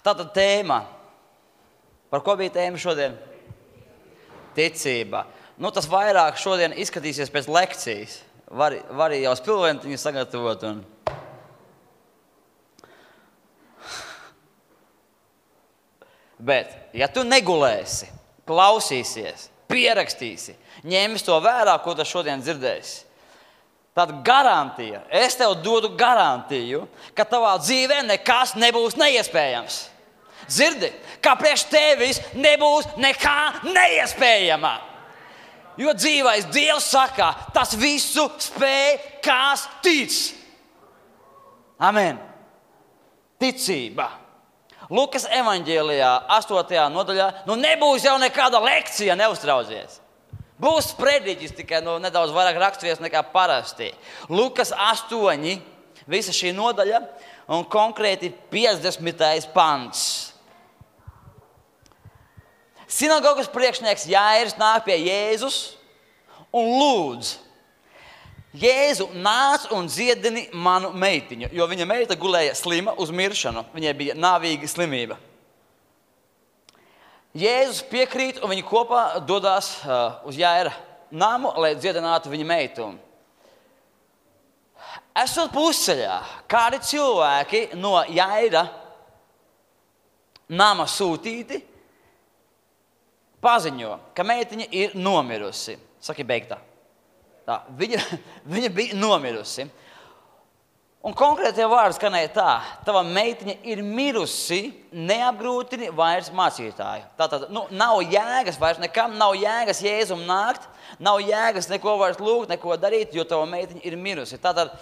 Tātad tēma. Par ko bija tēma šodien? Ticība. Tas vairāk šodien izskatīsies pēc lekcijas. Var jau spilventiņu sagatavot. Bet, ja tu negulēsi, klausīsies, pierakstīsi, ņemsi to vērā, ko tu šodien dzirdēsi, tad garantija, es tev dodu garantiju, ka tavā dzīvē nekas nebūs neiespējams. Dzirdi, ka priekš tevis nebūs nekā neiespējama. Jo dzīvais Dievs saka, tas visu spēj, kas tic. Amen. Ticība. Lukas evaņģēlijā 8. nodaļā, nebūs jau nekāda lekcija, neuztraucies. Būs prediķis tikai nedaudz vairāk rakstvies nekā parasti. Lukas 8, visa šī nodaļa un konkrēti 50. pants. Sinagogas priekšnieks Jairs nāk pie Jēzus un lūdz: Jēzu, nāc un dziedini manu meitiņu, jo viņa meita gulēja slima uz miršanu. Viņai bija nāvīga slimība. Jēzus piekrīt un viņi kopā dodās uz Jaira namu, lai dziedinātu viņa meitu. Esot pusceļā, kādi cilvēki no Jaira nama sūtīti paziņo, ka meitiņa ir nomirusi. Saki beigtā. Tā, viņa bija nomirusi. Un konkrētie vārdi skanēja tā: tava meitiņa ir mirusi, neapgrūtini vairs mācītāju. Tātad, nav jēgas vairs nekam, nav jēgas Jēzum nākt, nav jēgas neko vairs lūgt, neko darīt, jo tava meitiņa ir mirusi. Tātad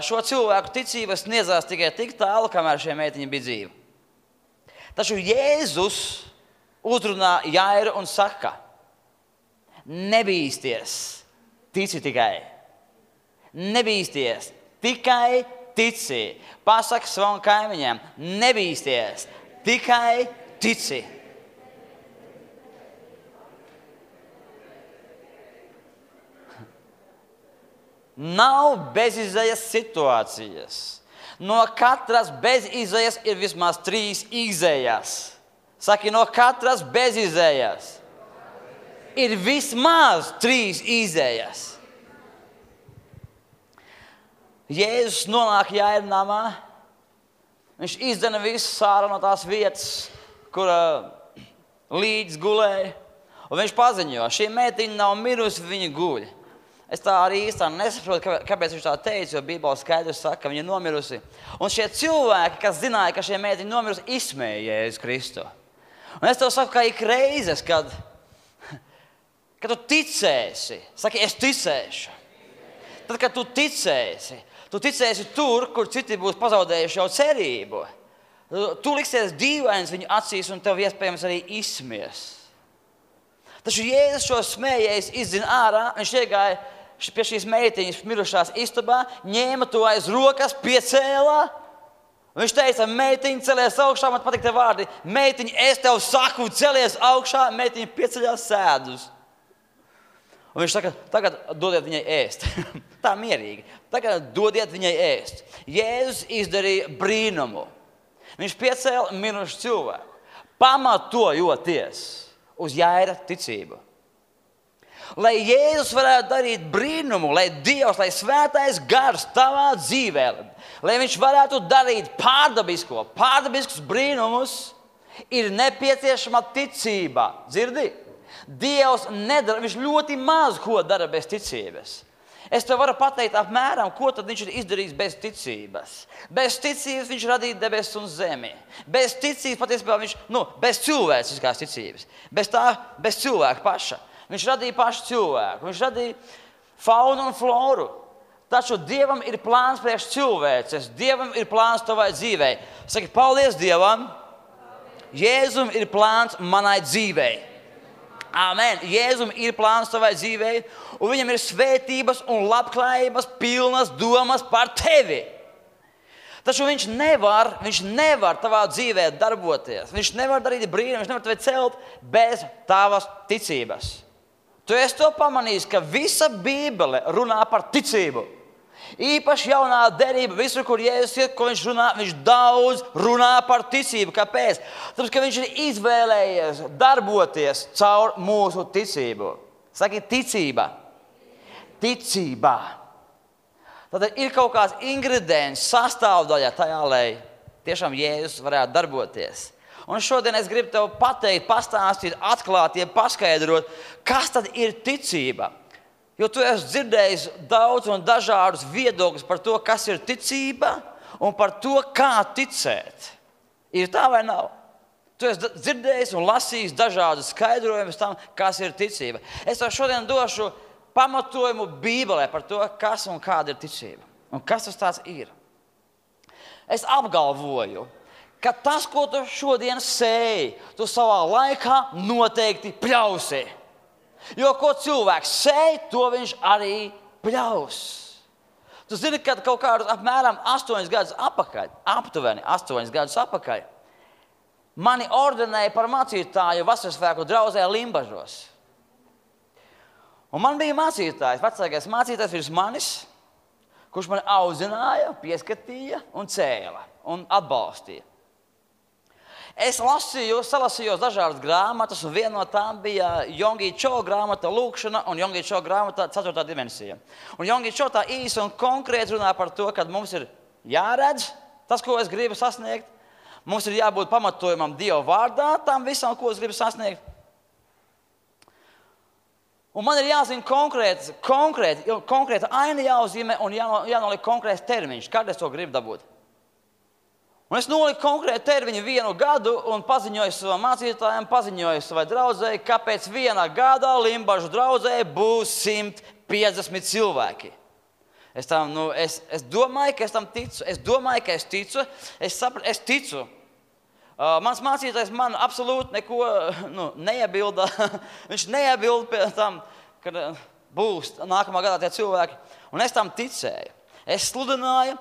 šo cilvēku ticība sniedzās tikai tik tālu, kamēr šie meitiņa bija dzīva. Taču Jēzus uzrunā Jairu un saka: nebīsties, tici tikai. Nebīsties, tikai tici. Pasaki savam kaimiņam: nebīsties, tikai tici. Nav bezizējas situācijas. No katras bezizējas ir vismaz 3 izējas. Saki, no katras bezizējas ir vismaz 3 izējas. Jēzus nonāk Jaira namā. Viņš izdzena visu sāru no tās vietas, kur līdz gulēja. Un viņš paziņo: šī meitiņa nav mirusi, viņa guļ. Es tā arī īstā nesaprotu, kāpēc viņš tā teica, jo Bībele skaidrs saka, ka viņa ir nomirusi. Un šie cilvēki, kas zināja, ka šie meitiņa nomirusi, izsmēja Jēzus Kristu. Un es tev saku, ka ik reizes, kad tu ticēsi, saki, es ticēšu. Tad, kad tu ticēsi tur, kur citi būs pazaudējuši jau cerību. Tu liksies dīvains viņu acīs un tev iespējams arī izsmies. Taču Jēzus šo smējējis izdzina ārā, viņš iegāja pie šīs meitiņas mirušās istabā, ņēma to aiz rokas, piecēlā. Viņš teica: meitiņa, celies augšā, man patīk te vārdi. Meitiņa, es tev saku, celies augšā, meitiņa pieceļās sēdus. Un viņš saka: tagad dodiet viņai ēst. Tā mierīgi. Tagad dodiet viņai ēst. Jēzus izdarīja brīnumu. Viņš piecēla mirušu cilvēku, pamatojoties uz Jaira ticību. Lai Jēzus varētu darīt brīnumu, lai Dievs, lai svētais gars tavā dzīvē, lai viņš varētu darīt pārdabiskus brīnumus, ir nepieciešama ticība. Dzirdi? Dievs nedara, viņš ļoti maz ko dara bez ticības. Es tev varu pateikt apmēram, ko tad viņš ir izdarījis bez ticības. Bez ticības viņš radīja debesis un zemi. Bez ticības patiesībā viņš, bez cilvēciskās ticības. Bez cilvēka paša. Viņš radīja pašu cilvēku. Viņš radīja faunu un floru. Taču Dievam ir plāns priekš cilvēces. Dievam ir plāns tavai dzīvei. Saki, paldies Dievam. Jēzum ir plāns manai dzīvei. Amen. Jēzum ir plāns tavai dzīvei, un viņam ir svētības un labklājības pilnas domas par tevi. Taču viņš nevar tavā dzīvē darboties. Viņš nevar darīt brīnumu, viņš nevar tevi celt bez tavas ticības. Tu esi to pamanījis, ka visa Bībele runā par ticību. Īpaši jaunā derība, visur, kur Jēzus iet, ko viņš runā, viņš daudz runā par ticību. Kāpēc? Tāpēc, ka viņš ir izvēlējies darboties caur mūsu ticību. Saki, ticība. Ticība. Tad ir kaut kāds ingredients, sastāvdaļa tajā, lai tiešām Jēzus varētu darboties. Un šodien es gribu tev pateikt, pastāstīt, atklāt, paskaidrot, kas tad ir ticība. Jo tu esi dzirdējis daudz un dažādus viedokļus par to, kas ir ticība un par to, kā ticēt. Ir tā vai nav? Tu esi dzirdējis un lasījis dažādus skaidrojumus tam, kas ir ticība. Es tev šodien došu pamatojumu Bībelē par to, kas un kāda ir ticība. Un kas tas tāds ir. Es apgalvoju, ka tas, ko tu šodien sēji, tu savā laikā noteikti pļausi. Jo ko cilvēks sēj, to viņš arī pļaus. Tu zini, ka kaut kādus apmēram 8 gadus atpakaļ, aptuveni 8 gadus atpakaļ, mani ordinēja par mācītāju Vasarsvētku draudzē Limbažos. Un man bija mācītājs, vecākais mācītājs virs manis, kurš mani audzināja, pieskatīja un cēla un atbalstīja. Es salasīju dažādas grāmatas, un viena no tām bija Yonggi Cho grāmata Lūkšana un Yonggi Cho grāmata 4. dimensija. Un Yonggi Cho tā īsi un konkrēti runā par to, ka mums ir jāredz tas, ko es gribu sasniegt. Mums ir jābūt pamatojumam Dieva vārdā tam visam, ko es gribu sasniegt. Un man ir jāzina konkrēta aina jāuzzīmē un jānoliek konkrēts termiņš, kad es to gribu dabūt. Un es noliku konkrētu termiņu 1 gadu un paziņoju savam mācītājam, paziņoju savai draudzēji, ka pēc 1 gada Limbažu draudzē būs 150 cilvēki. Es domāju, ka es tam ticu. Es domāju, ka es ticu. Es ticu. Mans mācītājs man absolūti neko neiebilda. Viņš neiebilda pie tam, kad būs nākamā gadā tie cilvēki. Un es tam ticēju. Es sludināju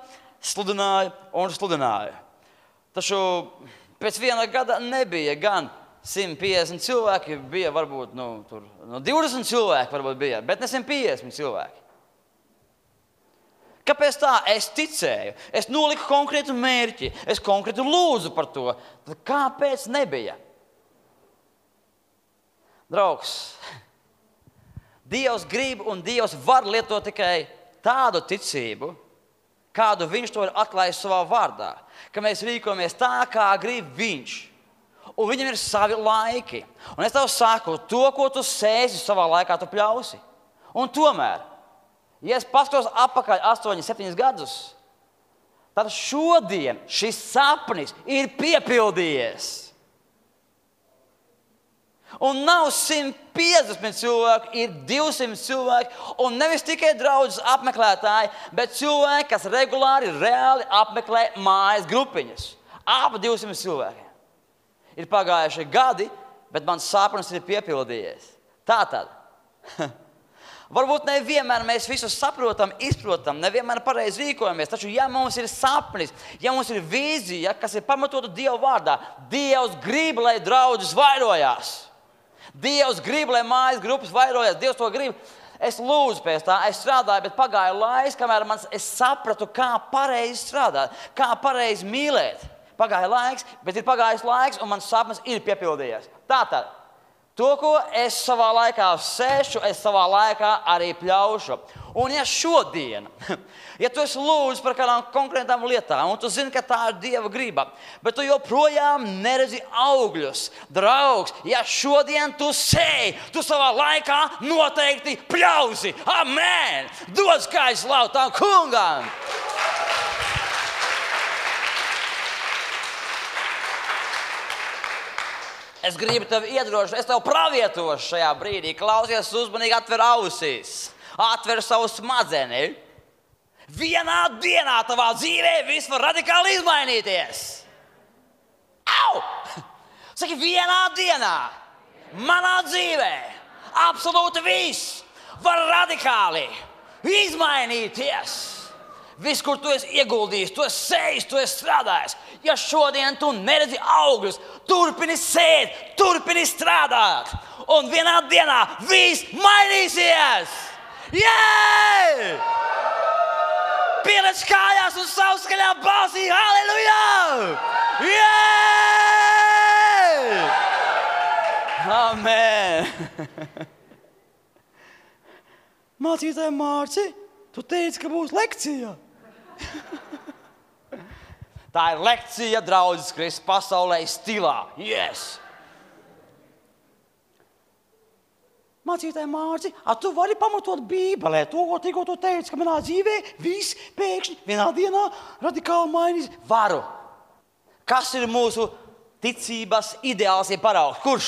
un sludināju. Taču pēc 1 gada nebija gan 150 cilvēki, bija varbūt 20 cilvēki, varbūt bija, bet ne 150 cilvēki. Kāpēc tā? Es ticēju, es noliku konkrētu mērķi, es konkrētu lūdzu par to. Tad kāpēc nebija? Draugs, Dievs grib un Dievs var lietot tikai tādu ticību, kādu viņš to ir atklājis savā vārdā, ka mēs rīkojamies tā, kā grib viņš. Un viņam ir savi laiki. Un es tev saku, to, ko tu sēsi savā laikā, tu pļausi. Un tomēr, ja es paskatos atpakaļ 8-7 gadus, tad šodien šis sapnis ir piepildījies. Un nav 150 cilvēku, ir 200 cilvēki, un nevis tikai draudzes apmeklētāji, bet cilvēki, kas regulāri, reāli apmeklē mājas grupiņas. Ap 200 cilvēkiem. Ir pagājuši gadi, bet mans sapnis ir piepildījies. Tātad, varbūt nevienmēr mēs visu saprotam, izprotam, nevienmēr pareizi rīkojamies, taču ja mums ir sapnis, ja mums ir vīzija, kas ir pamatota Dieva vārdā, Dievs grib, lai draudzes vairojās. Dievs grib, lai mājas grupas vairojas. Dievs to grib. Es lūdzu pēc tā, es strādāju, bet pagāja laiks, kamēr es sapratu, kā pareizi strādāt, kā pareizi mīlēt. Pagāja laiks, bet ir pagājis laiks, un mans sapnis ir piepildījies. Tātad, to, ko es savā laikā sēšu, es savā laikā arī pļaušu. Un ja šodien, ja tu esi lūdzu par kādām konkrētām lietām, un tu zini, ka tā ir Dieva griba, bet tu joprojām neredzi augļus, draugs, ja šodien tu sēji, tu savā laikā noteikti pļausi. Amen! Dod skaļu slavu tam kungam! Es gribu tevi iedrošināt, es tev pravietošu šajā brīdī. Klausies uzmanīgi, atver ausīs, atver savu smadzeni. Vienā dienā tavā dzīvē viss var radikāli izmainīties. Au! Saki, vienā dienā manā dzīvē absolūti viss var radikāli izmainīties. Viss, kur tu esi ieguldījis, tu esi sējis, tu esi strādājis. Ja šodien tu neredzi augļus, turpini sēt, turpini strādāt. Un vienā dienā viss mainīsies. Yeah! pieliec kājās un savu skaļā balsī. Halleluja! Amen! Mācītāji Mārci, tu teici, ka būs lekcija. Tā ir lekcija draudzes Kristus pasaulē stilā. Yes! Mācītāji Mārci, tu vari pamatot Bībelē to, ko tikko tu teici, ka manā dzīvē viss pēkšņi vienā dienā radikāli mainīs. Varu. Kas ir mūsu ticības ideāls, ja paraugs? Kurš?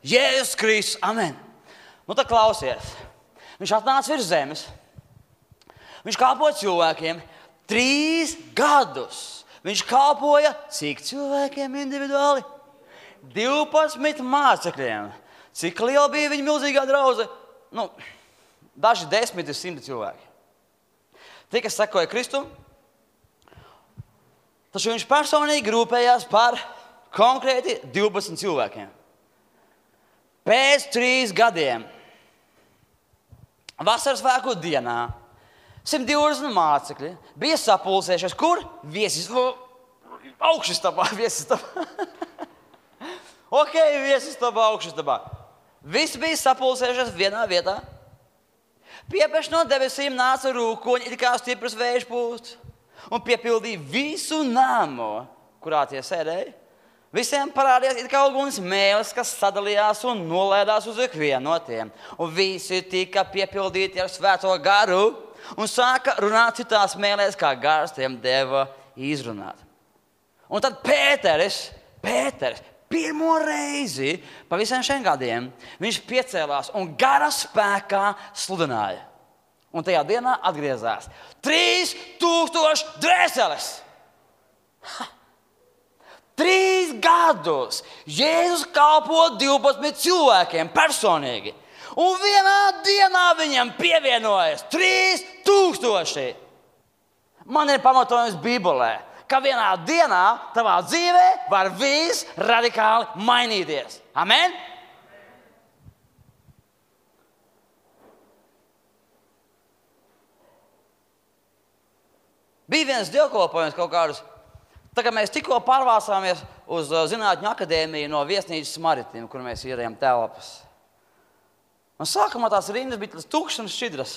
Jēzus Kristus. Amen. Nu tad klausies. Viņš atnāca virs zemes. Viņš kalpoja cilvēkiem 3 gadus. Viņš kalpoja cik cilvēkiem individuāli? 12 mācekļiem. Cik liela bija viņa milzīgā draudze? Daži 10 ir 100 cilvēki. Tie, kas sekoja Kristum, taču viņš personīgi rūpējās par konkrēti 12 cilvēkiem. Pēc 3 gadiem, vasaras svētku dienā, 120 mācekļi bija sapulcējušies. Kur? Augšastabā. Ok, viesistabā, augšastabā. Visi bija sapulcējušies vienā vietā. Piepeš no debesīm nāca rūkoņi, it kā stipras vējš pūst, un piepildīja visu namu, kurā tie sēdēja. Visiem parādījās it kā uguns mēlis, kas sadalījās un nolēdās uz ikvienu no tiem. Un visi tika piepildīti ar svēto garu un sāka runāt citās mēlēs, kā gars tiem deva izrunāt. Un tad Pēteris, pirmo reizi pa visiem šiem gadiem, viņš piecēlās un gara spēkā sludināja. Un tajā dienā atgriezās 3000 dvēseles. 3 gadus Jēzus kalpo 12 cilvēkiem personīgi. Un vienā dienā viņam pievienojas 3000. Man ir pamatojums Bībelē, ka vienā dienā tavā dzīvē var viss radikāli mainīties. Amen? Bija viens dievkalpojums kaut kādus. Tā kā mēs tikko pārvācāmies uz Zinātņu akadēmiju no viesnīcas Maritim, kur mēs ierējām telpas. Un sākumā tās rindas bija tukšas un šķidras.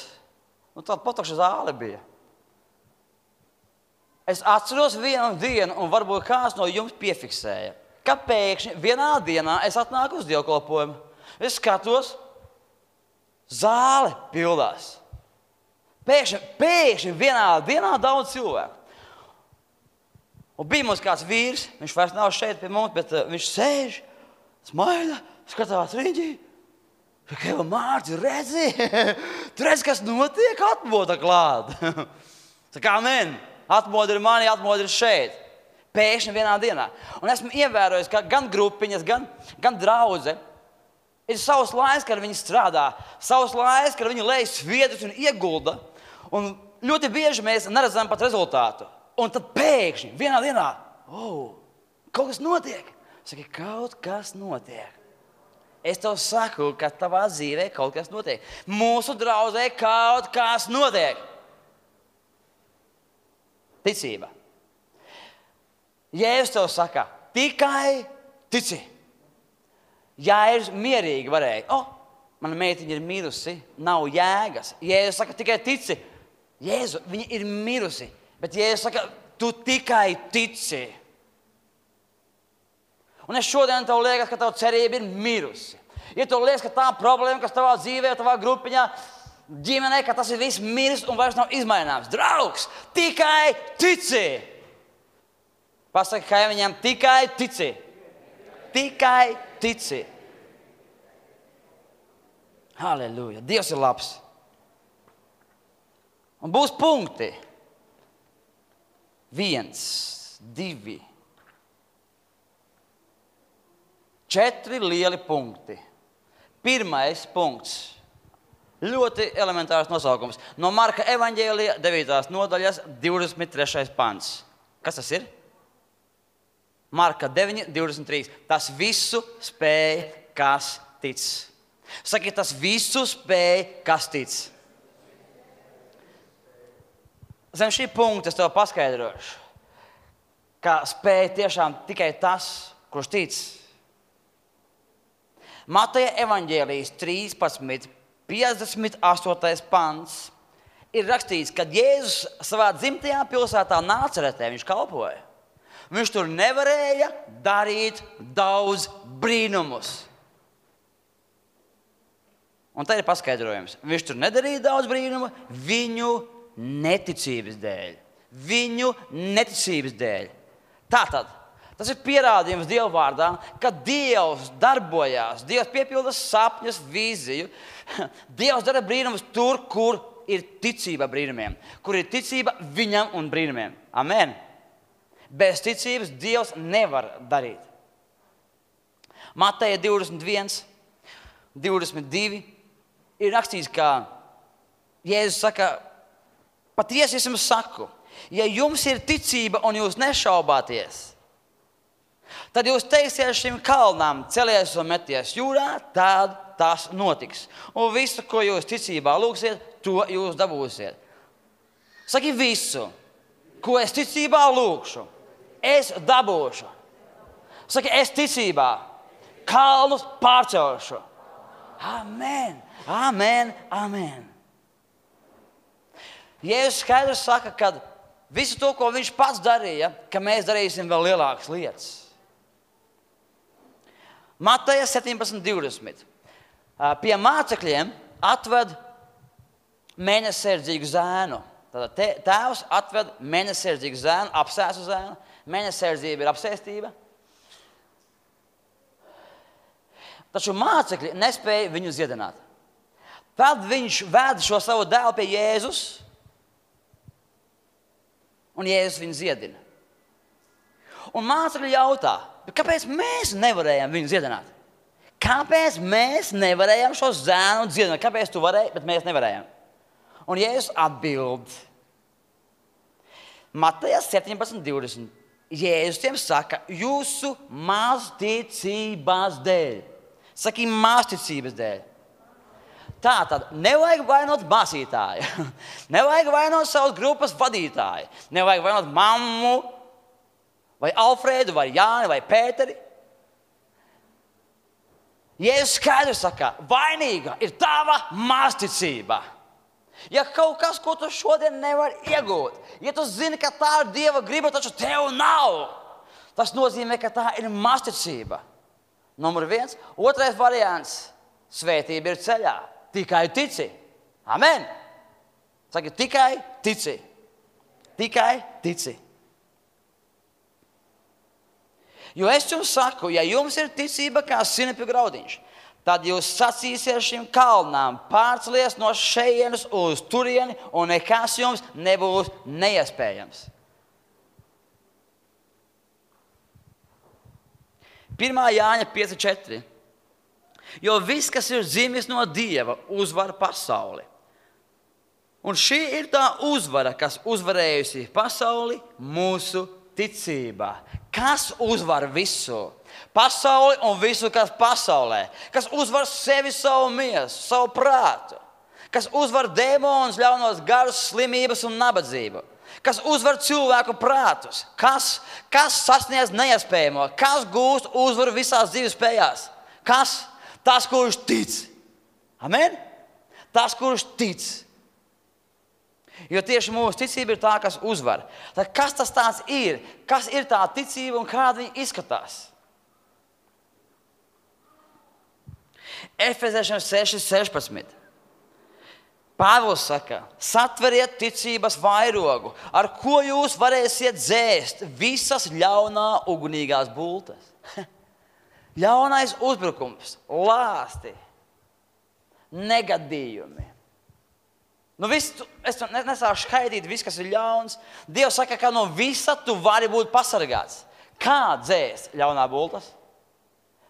Tāda patukša zāle bija. Es atceros vienu dienu, un varbūt kāds no jums piefiksēja, ka pēkšņi vienā dienā es atnāku uz dievkalpojumu. Es skatos, zāle pildās. Pēkšņi vienā dienā daudz cilvēku. Un bija mums kāds vīrs, viņš vairs nav šeit pie mums, bet viņš sēž, smaida, skatās riņķī. Keva Mārci, redzi, tu redzi, kas notiek, atmoda klāt. Tā kā amen, atmoda ir mani, atmoda ir šeit. Pēkšņi vienā dienā. Un esmu ievērojis, ka gan grupiņas, gan draudze ir savs laiks, kad viņi strādā, savs laiks, kad viņi lej sviedrus un iegulda. Un ļoti bieži mēs neredzam pat rezultātu. Un tad pēkšņi vienā dienā, kaut kas notiek. Saki, kaut kas notiek. Es tev saku, ka tavā dzīvē kaut kas notiek. Mūsu draudzē kaut kas notiek. Ticība. Jēzus tev saka, tikai tici. Jāir mierīgi varēja. Mana meitiņa ir mirusi, nav jēgas. Jēzus saka, tikai tici. Jēzu, viņa ir mirusi. Bet Jēzus saka, tu tikai tici. Un es šodien tev liekas, ka tava cerība ir mirusi. Ja tev liekas, ka tā problēma, kas tavā dzīvē, tavā grupiņā, ģimenē, ka tas ir viss miris un vairs nav izmaināms. Draugs, tikai tici. Pasaki kaimiņam, tikai tici. Tikai tici. Halleluja. Dievs ir labs. Un būs punkti. 1, 2, 4 lieli punkti. Pirmais punkts. Ļoti elementārs nosaukums. No Marka evaņģēlija 9. nodaļas 23. pants. Kas tas ir? Marka 9, 23. Tas visu spēj, kas tic. Saki, tas visu spēj, kas tic. Zem šī punkta es tev paskaidrošu, ka spēj tiešām tikai tas, kurš tic. Mateja evaņģēlijas 13, 58. pants ir rakstīts, kad Jēzus savā dzimtajā pilsētā Nāceretē viņš kalpoja. Viņš tur nevarēja darīt daudz brīnumus. Un tā ir paskaidrojums. Viņš tur nedarīja daudz brīnumu viņu neticības dēļ. Viņu neticības dēļ. Tātad, tas ir pierādījums Dieva vārdā, ka Dievs darbojās, Dievs piepilda sapņus, vīziju. Dievs dara brīnumus tur, kur ir ticība brīnumiem, kur ir ticība viņam un brīnumiem. Amen. Bez ticības Dievs nevar darīt. Mateja 21, 22 ir rakstīts, ka Jēzus saka, patiesi es jums saku, ja jums ir ticība un jūs nešaubāties, tad jūs teiksiet šim kalnām, celies un meties jūrā, tad tas notiks. Un visu, ko jūs ticībā lūgsiet, to jūs dabūsiet. Saki visu, ko es ticībā lūgšu, es dabūšu. Saki, es ticībā kalnus pārcelšu. Amen, amen, amen. Jēzus skaidrs saka, ka visu to, ko viņš pats darīja, ka mēs darīsim vēl lielākas lietas. Mateja 17:20. Pie mācekļiem atved mēnesardzīgu zēnu. Tātad tēvs atved mēnesardzīgu zēnu, apsēstu zēnu. Mēnesardzība ir apsēstība. Taču mācekļi nespēja viņu dziedināt. Tad viņš ved šo savu dēlu pie Jēzus, un Jēzus viņu dziedina. Un mācekļi jautā, kāpēc mēs nevarējām viņu dziedināt? Kāpēc mēs nevarējām šo zēnu dziedināt? Kāpēc tu varēji, bet mēs nevarējām? Un Jēzus atbild. Mateja 17:20. Jēzus tiem saka, jūsu mazticības dēļ. Saki, mazticības dēļ. Tātad nevajag vainot mācītāju. Nevajag vainot savas grupas vadītāju. Nevajag vainot mammu, vai Alfrēdu, vai Jāni, vai Pēteri. Jēzus skaidri saka, vainīga ir tava mazticība. Ja kaut kas, ko tu šodien nevari iegūt, ja tu zini, ka tā ir Dieva griba, taču tev nav, tas nozīmē, ka tā ir mazticība. Numur 1. Otrais variants. Svētība ir ceļā. Tikai tici. Amen. Saki, tikai tici. Tikai tici. Jo es jums saku, ja jums ir ticība kā sinepju graudiņš, tad jūs sacīsiet šim kalnām, pārcelies no šejienes uz turieni, un nekas jums nebūs neiespējams. 1. Jāņa 5:4. Jo viss, kas ir dzimis no Dieva, uzvar pasauli. Un šī ir tā uzvara, kas uzvarējusi pasauli, mūsu ticība. Kas uzvar visu? Pasauli un visu, kas pasaulē. Kas uzvar sevi, savu miesu, savu prātu. Kas uzvar dēmonus, ļaunos garus, slimības un nabadzību. Kas uzvar cilvēku prātus. Kas sasniedz neiespējamo. Kas gūst uzvaru visās dzīves spējās. Kas? Tas, kurš tic. Amen? Tas, kurš tic. Jo tieši mūsu ticība ir tā, kas uzvar. Tad kas tas tāds ir? Kas ir tā ticība un kāda viņa izskatās? Efeziešiem 6:16. Pāvils saka, satveriet ticības vairogu, ar ko jūs varēsiet dzēst visas ļaunā ugunīgās bultas. Ļaunais uzbrukums, lāsti, negadījumi. Es nesāku skaidīt visu, kas ir ļauns. Dievs saka, ka no visa tu vari būt pasargāts. Kā dzēst ļaunā bultas?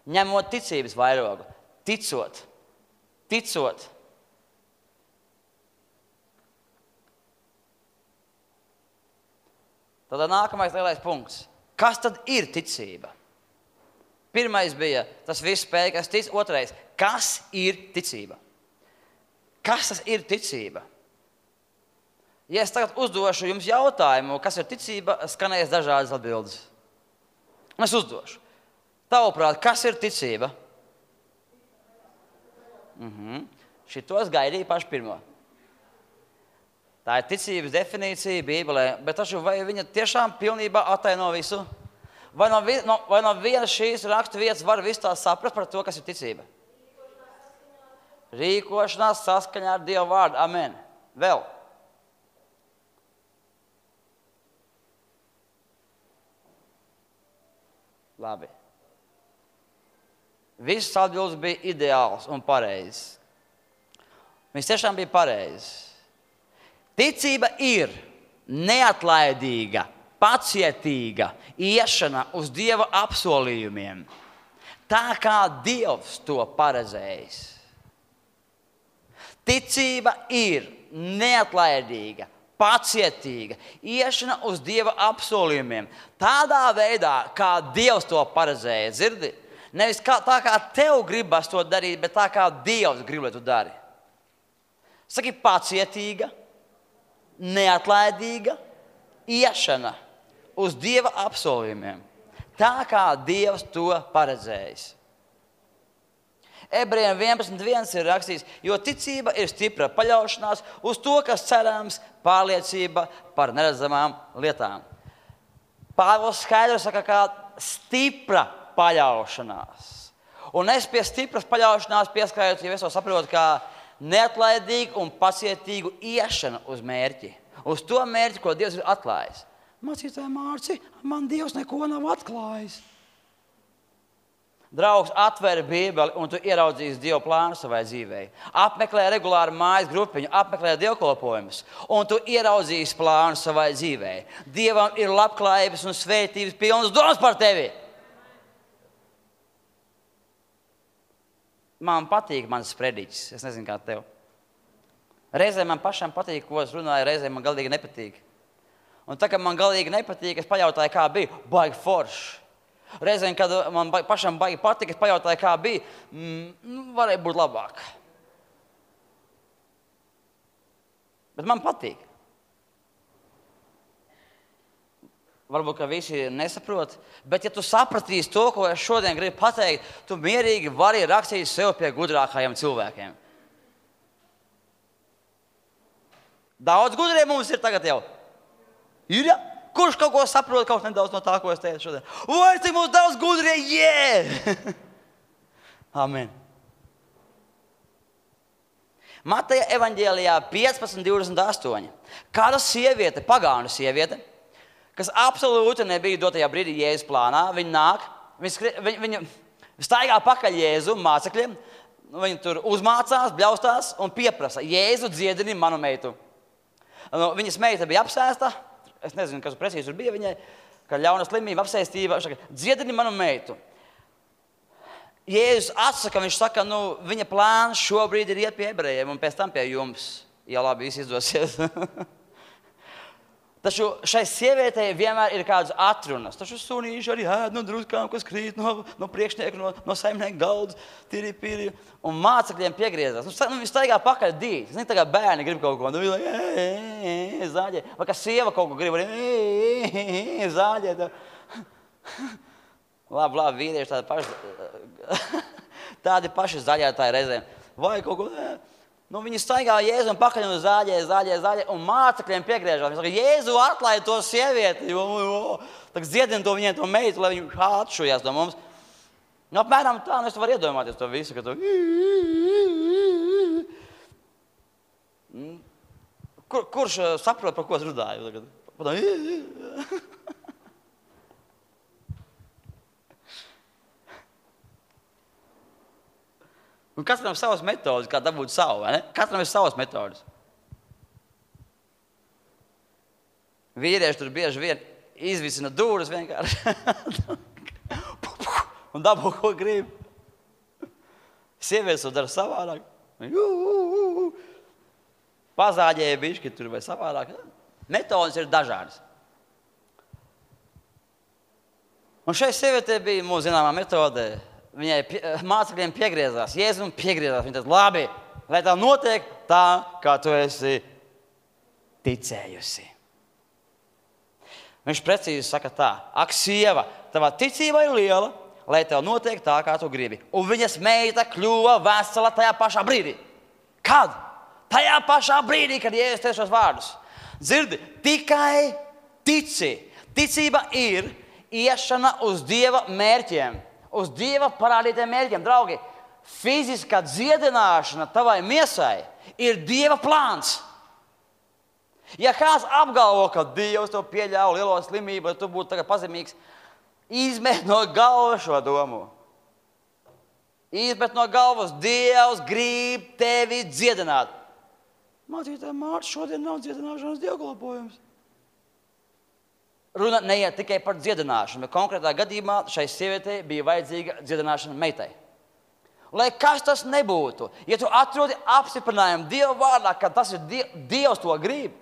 Ņemot ticības vairogu, ticot. Tad nākamais lielais punkts. Kas tad ir ticība? Pirmais bija tas viss spēj, kas tic. Otrais, kas ir ticība? Kas tas ir ticība? Ja es tagad uzdošu jums jautājumu, kas ir ticība, skanēs dažādas atbildes. Es uzdošu. Tavuprāt, kas ir ticība? Šito es gaidīju pašu pirmo. Tā ir ticības definīcija Bībelē, bet taču vai viņa tiešām pilnībā ataino visu? Vai no vienas šīs rakstu vietas var visu tā saprast par to, kas ir ticība? Rīkošanās saskaņā ar Dieva vārdu. Amen. Vēl. Labi. Visas atbildes bija ideāls un pareizs. Viņš tiešām bija pareizs. Ticība ir neatlaidīga, pacietīga iešana uz Dieva apsolījumiem. Tā kā Dievs to paredzējis. Ticība ir neatlaidīga, pacietīga iešana uz Dieva apsolījumiem. Tādā veidā, kā Dievs to paredzēja. Dzirdi? Nevis tā, kā tev gribas to darīt, bet tā, kā Dievs grib, lai tu dari. Saki, pacietīga, neatlaidīga iešana uz Dieva apsolījumiem. Tā, kā Dievs to paredzējis. Ebrejiem 11.1 ir rakstīts, jo ticība ir stipra paļaušanās uz to, kas cerams, pārliecība par neredzamām lietām. Pāvils skaidri saka, kā stipra paļaušanās. Un es pie stipras paļaušanās pieskaitu, ja es to saprotu, kā neatlaidīgu un pacietīgu iešanu uz mērķi. Uz to mērķi, ko Dievs ir atklājis. Mācītāji Mārci, man Dievs neko nav atklājis. Draugs, atver Bībeli un tu ieraudzīsi Dieva plānu savai dzīvei. Apmeklē regulāri mājas grupiņu, apmeklē dievkalpojumus un tu ieraudzīsi plānu savai dzīvei. Dievam ir labklājības un svētības pilnas domas par tevi. Man patīk mans prediķis, es nezinu kā tev. Reizēm man pašam patīk, ko es runāju, reizēm man galīgi nepatīk. Un tā, ka man galīgi nepatīk, es pajautāju, kā bija, baigi forši. Reizēm, kad man pašam baigi patīk, es pajautāju, kā bija, varēja būt labāk. Bet man patīk. Varbūt, ka visi nesaprot, bet ja tu sapratīsi to, ko es šodien gribu pateikt, tu mierīgi vari rakstīt sev pie gudrākajiem cilvēkiem. Daudz gudrie mums ir tagad jau. Ir, ja? Kurš kaut ko saprot, kaut nedaudz no tā, ko es teicu šodien? Vai cik mums daudz gudrie? Yeah! Amen. Mateja evaņģēlijā 15.28. Kāda sieviete, pagānu sieviete, kas absolūti nebija dotajā brīdī Jēzus plānā, viņa nāk, viņa staigā pakaļ Jēzu mācekļiem, viņa tur uzmācās, bļaustās un pieprasa, Jēzu dziedini manu meitu. Viņas meita bija apsēsta, es nezinu, kas precīzi tur bija viņai, ka ļauna slimība, apsēstība, dziedini manu meitu. Jēzus atsaka, viņš saka, viņa plāns šobrīd ir iet pie ebrejiem un pēc tam pie jums, ja labi viss izdosies. Taču šai sievietei vienmēr ir kādas atrunas. Taču sunīši arī ēd no druskām, kas krīt no priekšnieka, no saimnieka galdas, tīri. Un mācekļiem piegriezās. Viņi staigā pakaļ dīt. Viņi tā kā bērni grib kaut ko. Viņi zāģē. Vai kā sieva kaut ko grib. Zāģē. Labi, vīrieši tādi paši. Tādi paši zaļētāji reizēm. Vai kaut ko. Viņi staigā Jēzu un pakaļ un zāģē, un mācekļiem piegriežās. Viņi saka, Jēzu atlaid to sievieti, tak dziedina to viņiem to meitu, lai viņi atšujās no mums. Apmēram tā, es varu iedomāties to visu, ka tu... Kurš saprot, par ko es runāju? Un katram savas metodas, kā dabūt savu, vai ne? Katram ir savas metodas. Vīrieši tur bieži vien izvisina dūras vienkārši. Un dabū, ko grib. Sievietes to dara savādāk. Pazāģēja bišķi tur vai savādāk. Metodas ir dažādas. Un šai sievietē bija mūsu zināmā metode. Viņai mācekļiem piegriezās, Jēzus piegriezās. Viņa teica, labi, lai tā notiek tā, kā tu esi. ticējusi. Viņš precīzi saka tā: ak, sieva, tavā ticība ir liela, lai tev notiek tā, kā tu gribi. Un viņas meita kļuva vesela tajā pašā brīdī. Kad? Tajā pašā brīdī, kad Jēzus teica šos vārdus. Dzirdi, tikai tici. Ticība ir iešana uz Dieva mērķiem, uz Dieva parādītiem mērķiem. Draugi, fiziskā dziedināšana tavai miesai ir Dieva plāns. Ja kāds apgalvo, ka Dievs tev pieļauj lielo slimību, lai tu būtu tagad pazemīgs, izmet no galvas šo domu. Izmet no galvas, Dievs grib tevi dziedināt. Mācītāj, Mārts, šodien nav dziedināšanas dievkalpojums. Runa neiet tikai par dziedināšanu, bet konkrētā gadījumā šai sievietei bija vajadzīga dziedināšana meitai. Lai kas tas nebūtu, ja tu atrodi apstiprinājumu Dieva vārdā, ka tas ir Dievs to grib,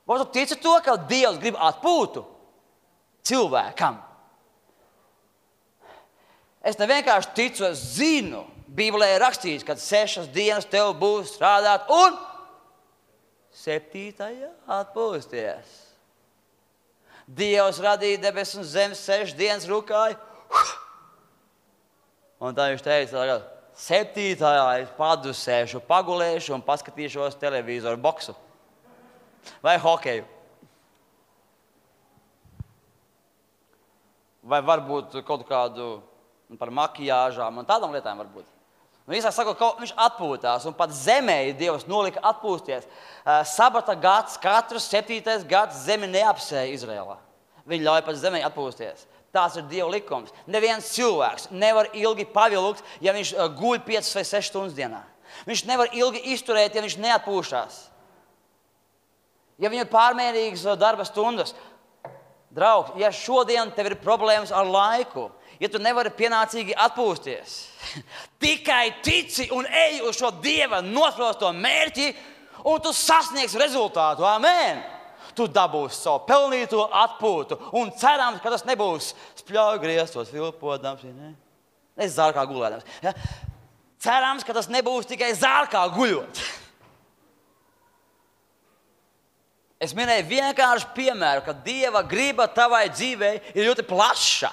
vai tu tici to, ka Dievs grib atpūtu cilvēkam? Es nevienkārši ticu, es zinu, Bībelē ir rakstīts, ka 6 dienas tev būs strādāt un 7. atpūsties. Dievs radīja debesis un zemi, 6 dienas rukāja. Un tā viņš teica, 7. es padusēšu, pagulēšu un paskatīšos televizoru boksu. Vai hokeju. Vai varbūt kaut kādu par makijāžām un tādām lietām varbūt. Īsāk sakot, viņš atpūtās un pat zemē Dievs nolika atpūsties. Sabata gads, katrs 7. gads zemi neapsēja Izrēlā. Viņi ļauj pat zemē atpūsties. Tās ir Dieva likums. Neviens cilvēks nevar ilgi pavilkt, ja viņš guļ 5 vai 6 stundas dienā. Viņš nevar ilgi izturēt, ja viņš neatpūšās. Ja viņam ir pārmērīgas darba stundas. Draugs, ja šodien tev ir problēmas ar laiku, ja tu nevari pienācīgi atpūsties, tikai tici un ej uz šo Dieva nosprosto mērķi, un tu sasniegsi rezultātu. Amen! Tu dabūsi savu pelnīto atpūtu, un cerams, ka tas nebūs spļauj griestos, vilpodams, ne? Es zārkā gulēdams. Ja? Cerams, ka tas nebūs tikai zārkā guļot. Es minēju vienkārši piemēru, ka Dieva griba tavai dzīvei ir ļoti plaša.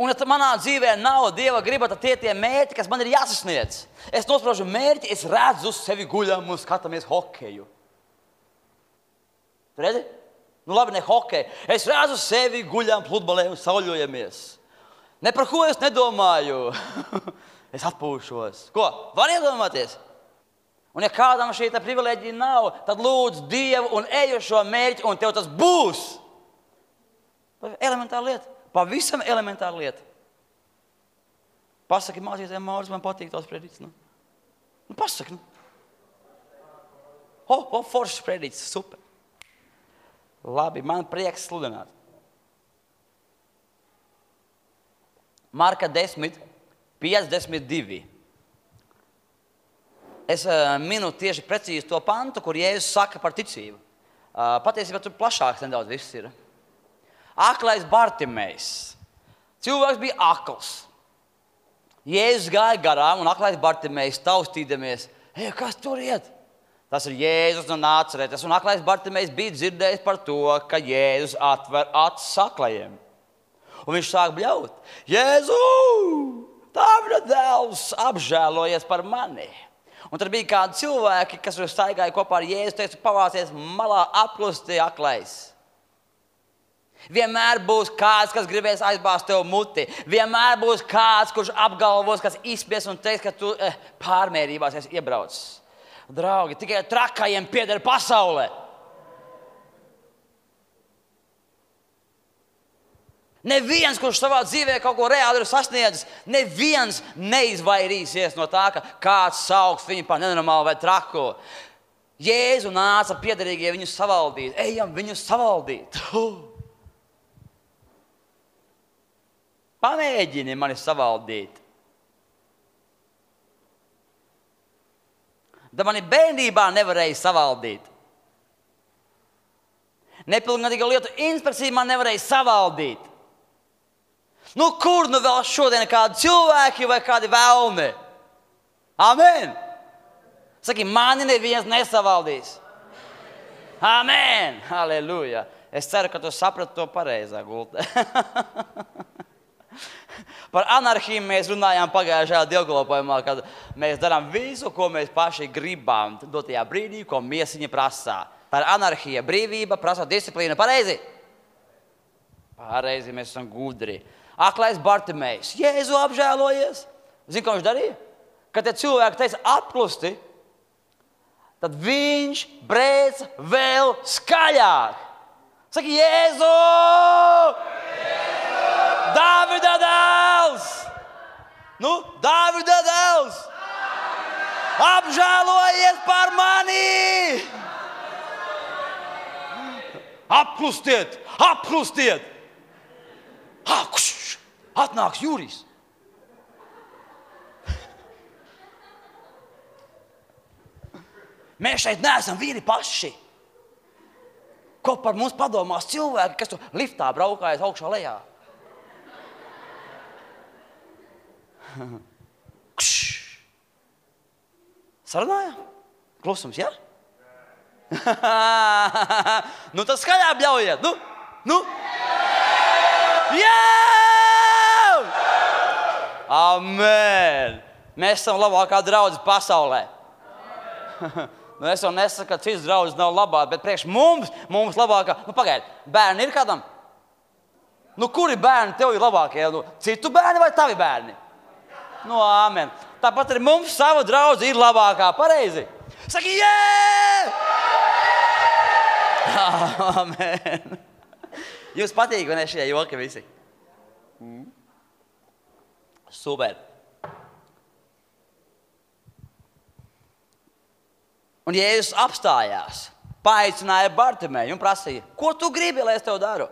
Un ja manā dzīvē nav Dieva griba, tad tie mērķi, kas man ir jāsasniedz. Es nospraužu mērķi, es redzu sevi guļam un skatāmies hokeju. Tu redzi? Nu labi, ne hokeju. Es redzu sevi guļam pludmalē un sauļojamies. Ne par ko es nedomāju. Es atpūšos. Ko? Var iedomāties? Un ja kādam šī privileģija nav, tad lūdzu Dievu un ej uz šo mērķi, un tev tas būs. Elementāra lieta. Pavisam elementāra lieta. Pasaki mācītājiem, Māris, man patīk tās predīces. Nu pasaki, nu. Foršas predīces, super. Labi, man prieks sludināt. Marka 10, 52. Es minu tieši precīzi to pantu, kur Jēzus saka par ticību. Patiesībā tur plašāks nedaudz viss ir. Aklais Bartimejs. Cilvēks bija akls. Jēzus gāja garām un aklais Bartimejs taustīdamies. Kas tur iet? Tas ir Jēzus no Nāceretes. Un aklais Bartimejs bija dzirdējis par to, ka Jēzus atver acis aklajiem. Un viņš sāk bļaut. Jēzu, Dāvida dēls, apžēlojies par mani. Un tad bija kādi cilvēki, kas staigāja kopā ar Jēzu, teica, pavācies malā, apklusti aklais. Vienmēr būs kāds, kas gribēs aizbāzt tev muti. Vienmēr būs kāds, kurš apgalvos, kas izspies un teiks, ka tu pārmērībās esi iebraucis. Draugi, tikai trakajiem pieder pasaulē. Neviens, kurš savā dzīvē kaut ko reāli ir sasniedzis, neviens neizvairīsies no tā, ka kāds sauks viņu par nenormālu vai traku. Jēzu nāca piederīgie viņus savaldīt. Ejam viņus savaldīt. Pamēģini mani savaldīt. Da mani bērnībā nevarēja savaldīt. Nepilngadīgo lietu inspekcija man nevarēja savaldīt. Nu, kur nu vēl šodien kādi cilvēki vai kādi velni? Amen! Saki, mani neviens nesavaldīs. Amen! Halleluja! Es ceru, ka tu saprati to pareizā gultē. Par anarhiju mēs runājām pagājušajā dievkalpojumā, kad mēs darām visu, ko mēs paši gribam dotajā brīdī, ko miesiņa prasā. Tā ir anarhija, brīvība, prasa disciplīna. Pareizi? Pareizi, mēs esam gudri. Aklais Bartimejs. Jēzu apžēlojies. Zini, ko viņš darīja? Kad tie cilvēki teica apklusti, tad viņš brēc vēl skaļāk. Saki, Jēzu! Dāvida dēls! Nu, Dāvida dēls! Apžēlojies par mani! Apklustiet! Apklustiet! Atnāks Jurijs! Mēs šeit neesam vīri paši. Ko par mums padomās cilvēki, kas tu liftā braukājas augšā lejā? Sarunājā? Klusums, jā? Nu, tad skaļāk bļaujiet. Nu? Jā! Amen! Mēs esam labākā draudze pasaulē. Nu, es jau nesaku, ka cits draudzes nav labāk, bet priekš mums labākā. Nu, pagaidi, bērni ir kādam? Nu, kuri bērni tev ir labākie? Nu, citu bērni vai tavi bērni? Nu, amen. Tāpat arī mums sava draudze ir labākā, pareizi? Saki, jē! Amen. Jums patīk, vai ne šie joki visi? Super. Un Jēzus apstājās, paaicināja Bartimeju un prasīja, ko tu gribi, lai es tev daru?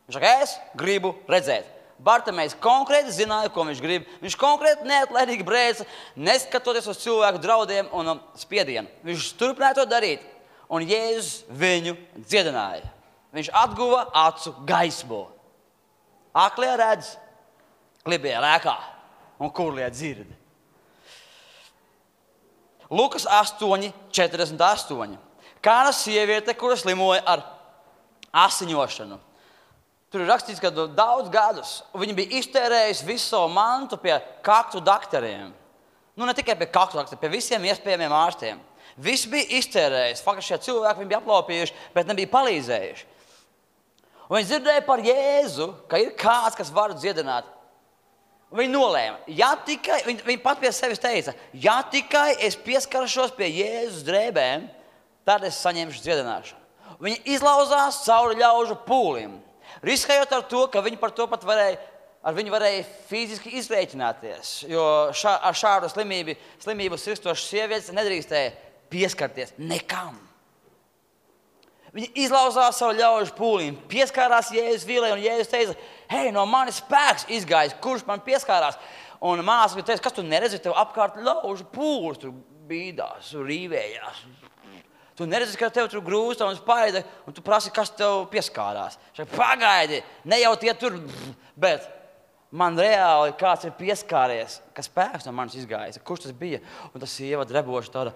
Viņš saka, es gribu redzēt. Bartimejs konkrēti zināja, ko viņš grib. Viņš konkrēti neatlaidīgi brēca, neskatoties uz cilvēku draudiem un spiedienu. Viņš turpināja to darīt, un Jēzus viņu dziedināja. Viņš atguva acu gaismu. Aklie redz, klibie lēkā un kurlie dzird. Lukas 8:48. Kāda sieviete, kura slimoja ar asiņošanu. Tur ir rakstīts, ka daudz gadus viņa bija iztērējusi visu savu mantu pie kaktu daktariem. Nu, ne tikai pie kaktu daktariem, pie visiem iespējamiem ārstiem. Viss bija iztērējis. Faktiski šie cilvēki viņi bija aplaupījuši, bet nebija palīdzējuši. Un viņi dzirdēja par Jēzu, ka ir kāds, kas var dziedināt. Viņi nolēma, viņi pat pie sevis teica, ja tikai es pieskaršos pie Jēzus drēbēm, tad es saņemšu dziedināšanu. Viņi izlauzās cauri ļaužu pūlim, riskējot ar to, ka viņi par to pat varēja fiziski izrēķināties, jo ar šādu slimību sirstošas sievietes nedrīkstēja pieskarties nekam. Viņi izlauzās savu ļaužu pūlim, pieskārās Jēzus vīlei, un Jēzus teica, hei, no manis spēks izgājis, kurš man pieskārās. Un māsa teica, kas tu neredzi, tev apkārt ļaužu pūlis, tu bīdās, rīvējās. Tu neredzi, ka tev tur grūsta un spaida, un tu prasi, kas tev pieskārās. Šai, pagaidi, ne jau tie tur, bet man reāli kāds ir pieskāries, ka spēks no manis izgājis. Kurš tas bija? Un tas sieva dreboši tāda,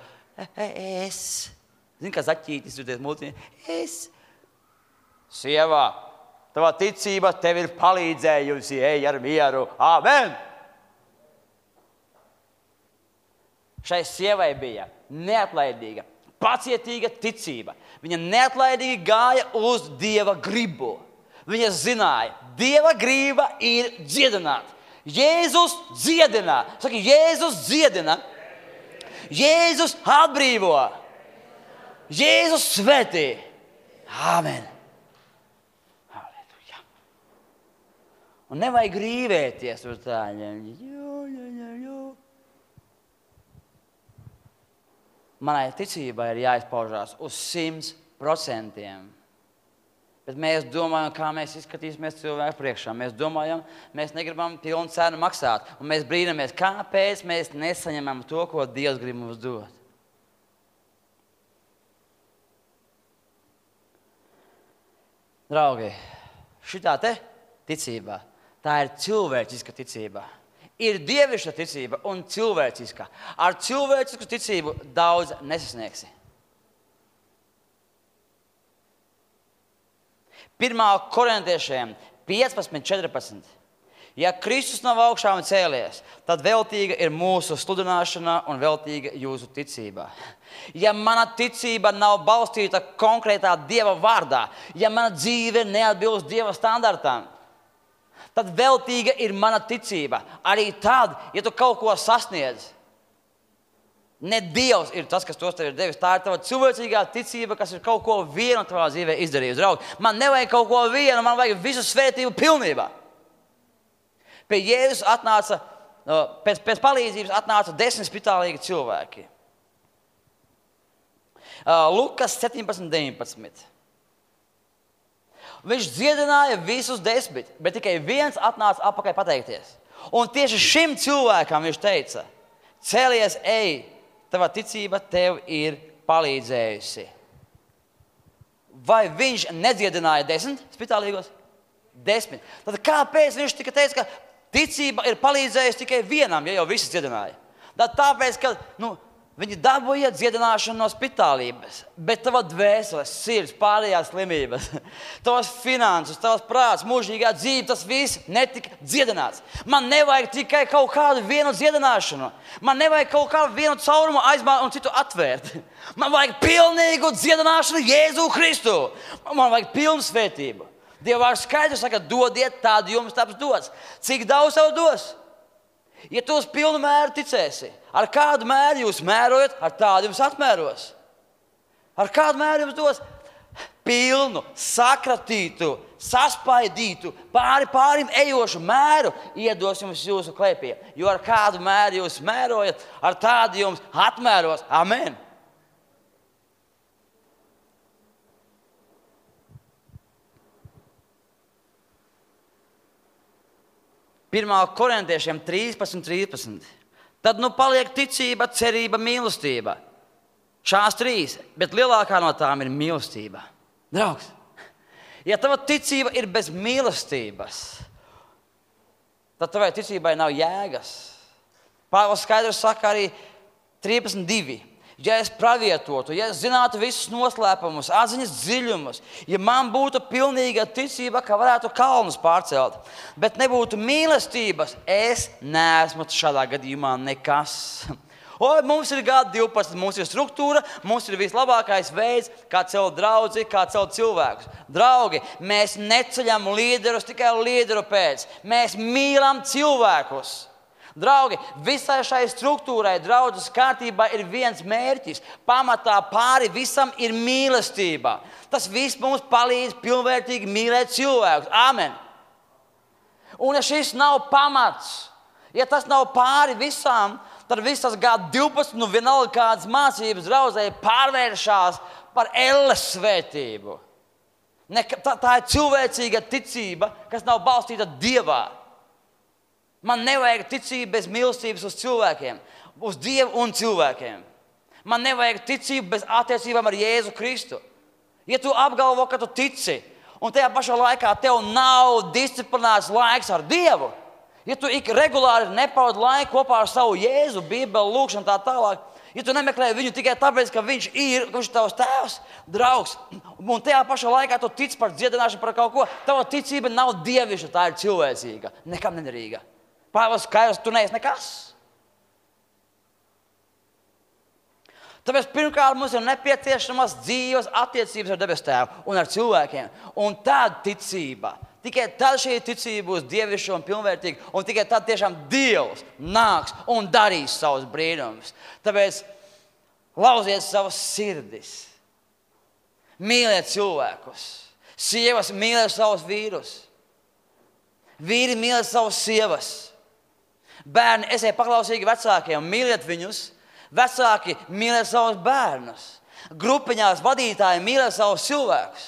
es. Zini, kā zaķītis, jūties multiņi? Es. Sievā, tavā ticība tev ir palīdzējusi, ej ar mieru. Amen! Šai sievai bija neatlaidīga, pacietīga ticība. Viņa neatlaidīgi gāja uz Dieva gribu. Viņa zināja, Dieva griba ir dziedināt. Jēzus dziedina. Saki, Jēzus dziedina. Jēzus atbrīvo. Jēzus svētī. Āmen. Halleluja. Un nevajag rīvēties uz tādiem. Manai ticībai ir jāizpaužās uz 100%. Bet mēs domājam, kā mēs izskatīsimies cilvēku priekšā. Mēs domājam, mēs negribam pilnu cenu maksāt. Un mēs brīnamies, kāpēc mēs nesaņemam to, ko Dievs grib mums dot. Draugi, šitā te ticībā, tā ir cilvēciska ticība. Ir dievišķa ticība un cilvēciska. Ar cilvēcisku ticību daudz nesasniegsi. 1. Korintiešiem 15:14. Ja Kristus nav augšām cēlies, tad veltīga ir mūsu sludināšana un veltīga jūsu ticība. Ja mana ticība nav balstīta konkrētā Dieva vārdā, ja mana dzīve neatbilst Dieva standartām, tad veltīga ir mana ticība. Arī tad, ja tu kaut ko sasniedz, ne Dievs ir tas, kas tos tev ir devis. Tā ir tava cilvēcīgā ticība, kas ir kaut ko vienu tavā dzīvē izdarījusi. Draugi, man nevajag kaut ko vienu, man vajag visu svētību pilnībā. Pie Jēzus atnāca, pēc palīdzības atnāca 10 spitālīgi cilvēki. Lukas 17:19. Viņš dziedināja visus 10, bet tikai viens atnāca atpakaļ pateikties. Un tieši šim cilvēkam viņš teica, cēlies, ej, tava ticība tev ir palīdzējusi. Vai viņš nedziedināja 10 spitālīgos? 10. Tad kāpēc viņš tikai teica, ka ticība ir palīdzējusi tikai vienam, ja jau visi dziedināja? Tāpēc, ka viņi dabūja dziedināšanu no spitālības, bet tava dvēseles, sirds, pārējās slimības, tavas finanses, tavas prāts, mūžīgā dzīve, tas viss netika dziedināts. Man nevajag tikai kaut kādu vienu dziedināšanu. Man nevajag kaut kādu vienu caurumu aizmāt un citu atvērt. Man vajag pilnīgu dziedināšanu Jēzu Kristu. Man vajag pilnu svētību. Dieva vārds skaidrs saka, dodiet, tādu jums taps dots. Cik daudz tev dos? Ja tu uz pilnu mēru ticēsi, ar kādu mēru jūs mērojat, ar tādu jums atmēros. Ar kādu mēru jums dos? Pilnu, sakratītu, saspaidītu, pārim ejošu mēru iedos jums jūsu klēpī. Jo ar kādu mēru jūs mērojat, ar tādu jums atmēros. Amen. Pirmā Korintiešiem 13:13. Tad paliek ticība, cerība, mīlestība. Šās 3, bet lielākā no tām ir mīlestība. Draugs, ja tava ticība ir bez mīlestības, tad tavai ticībai nav jēgas. Pāvils skaidrs saka arī 13:2. Ja es pravietotu, ja es zinātu visus noslēpumus, atziņas dziļumus, ja man būtu pilnīga ticība, ka varētu kalnus pārcelt, bet nebūtu mīlestības, es neesmu šādā gadījumā nekas. Mums ir G12, mums ir struktūra, mums ir vislabākais veids, kā celt draudzi, kā celt cilvēkus. Draugi, mēs neceļam līderus tikai līderu pēc. Mēs mīlam cilvēkus. Draugi, visai šai struktūrai, draudzes kārtībā ir viens mērķis. Pamatā pāri visam ir mīlestība. Tas viss mums palīdz pilnvērtīgi mīlēt cilvēkus. Amen. Un ja šis nav pamats, ja tas nav pāri visam, tad viss tas G12, vienalga kādas mācības draudzē pārvēršās par elles svētību. Tā ir cilvēcīga ticība, kas nav balstīta Dievā. Man nevajag ticību bez mīlestības uz cilvēkiem, uz Dievu un cilvēkiem. Man nevajag ticību bez attiecībām ar Jēzu Kristu. Ja tu apgalvo, ka tu tici, un tajā pašā laikā tev nav disciplinēts laiks ar Dievu, ja tu regulāri nepavadi laiku kopā ar savu Jēzu, Bībeli, lūkšanu tā tālāk, ja tu nemeklē viņu tikai tāpēc, ka viņš ir tavs tēvs, draugs, un tajā pašā laikā tu tici par dziedināšanu, par kaut ko, tava ticība nav dievišķa, tā ir cilvēcīga, nekam nederīga. Pāvils skaidrs, tu neesi nekas. Tāpēc pirmkārt mums ir nepieciešamas dzīves attiecības ar debes tēvu un ar cilvēkiem. Un tad ticība. Tikai tad šī ticība būs dievišķa un pilnvērtīga. Un tikai tad tiešām Dievs nāks un darīs savus brīnumus. Tāpēc lauziet savas sirdis. Mīliet cilvēkus. Sievas mīliet savus vīrus. Vīri mīliet savas sievas. Bērni, esiet paklausīgi vecākiem, mīliet viņus. Vecāki mīliet savus bērnus. Grupiņās vadītāji mīliet savus cilvēkus.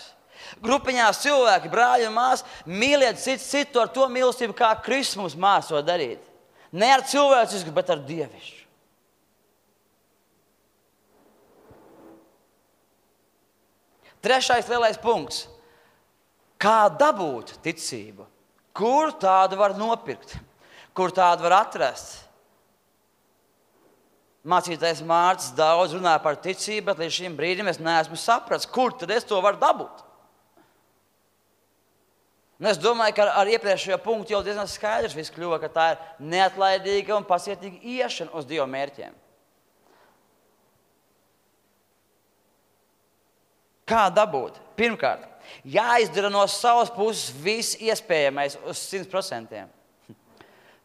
Grupiņās cilvēki, brāļi un māsas, mīliet citu ar to mīlestību, kā Kristus mums māca to darīt. Ne ar cilvēcisku, bet ar dievišķu. Trešais lielais punkts. Kā dabūt ticību? Kur tādu var nopirkt? Kur tādu var atrast? Mācītājs Mārcis daudz runā par ticību, bet līdz šim brīdim es neesmu sapratis, kur tad es to varu dabūt. Un es domāju, ka ar iepriekšējo punktu jau diezgan skaidrs viss kļuva, ka tā ir neatlaidīga un pasietīga iešana uz Dieva mērķiem. Kā dabūt? Pirmkārt, jāizdara no savas puses viss iespējamais uz 100%.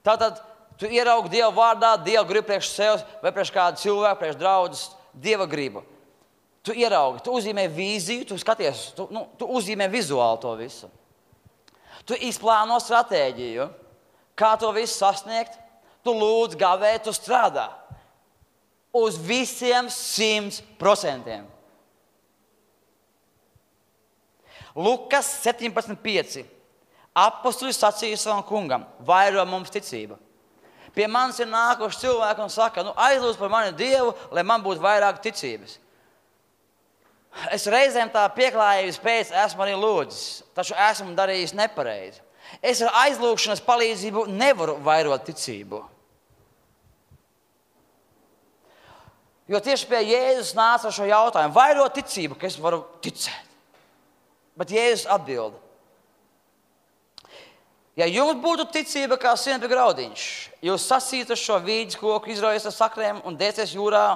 Tātad tu ieraugi Dieva vārdā, Dieva gribu priekš sevis vai priekš kādu cilvēku, priekš draudzes, Dieva gribu. Tu ieraugi, tu uzzīmē vīziju, tu skaties, tu uzzīmē vizuāli to visu. Tu izplāno stratēģiju, kā to visu sasniegt, tu lūdz gavē, tu strādā. Uz visiem 100%. Lukas 17.5. Apostuļi sacīja savam kungam, vairo mums ticība. Pie manis ir nākuši cilvēki un saka, aizlūdz par mani Dievu, lai man būtu vairāk ticības. Es reizēm tā pieklājības pēc esmu arī lūdzis, taču esmu darījis nepareizi. Es ar aizlūgšanas palīdzību nevaru vairot ticību. Jo tieši pie Jēzus nāca ar šo jautājumu, vairot ticību, ka es varu ticēt. Bet Jēzus atbild. Ja jums būtu ticība kā sienpju graudiņš, jūs sasītu šo vīģes koku, izraujies ar sakriem un dēsies jūrā,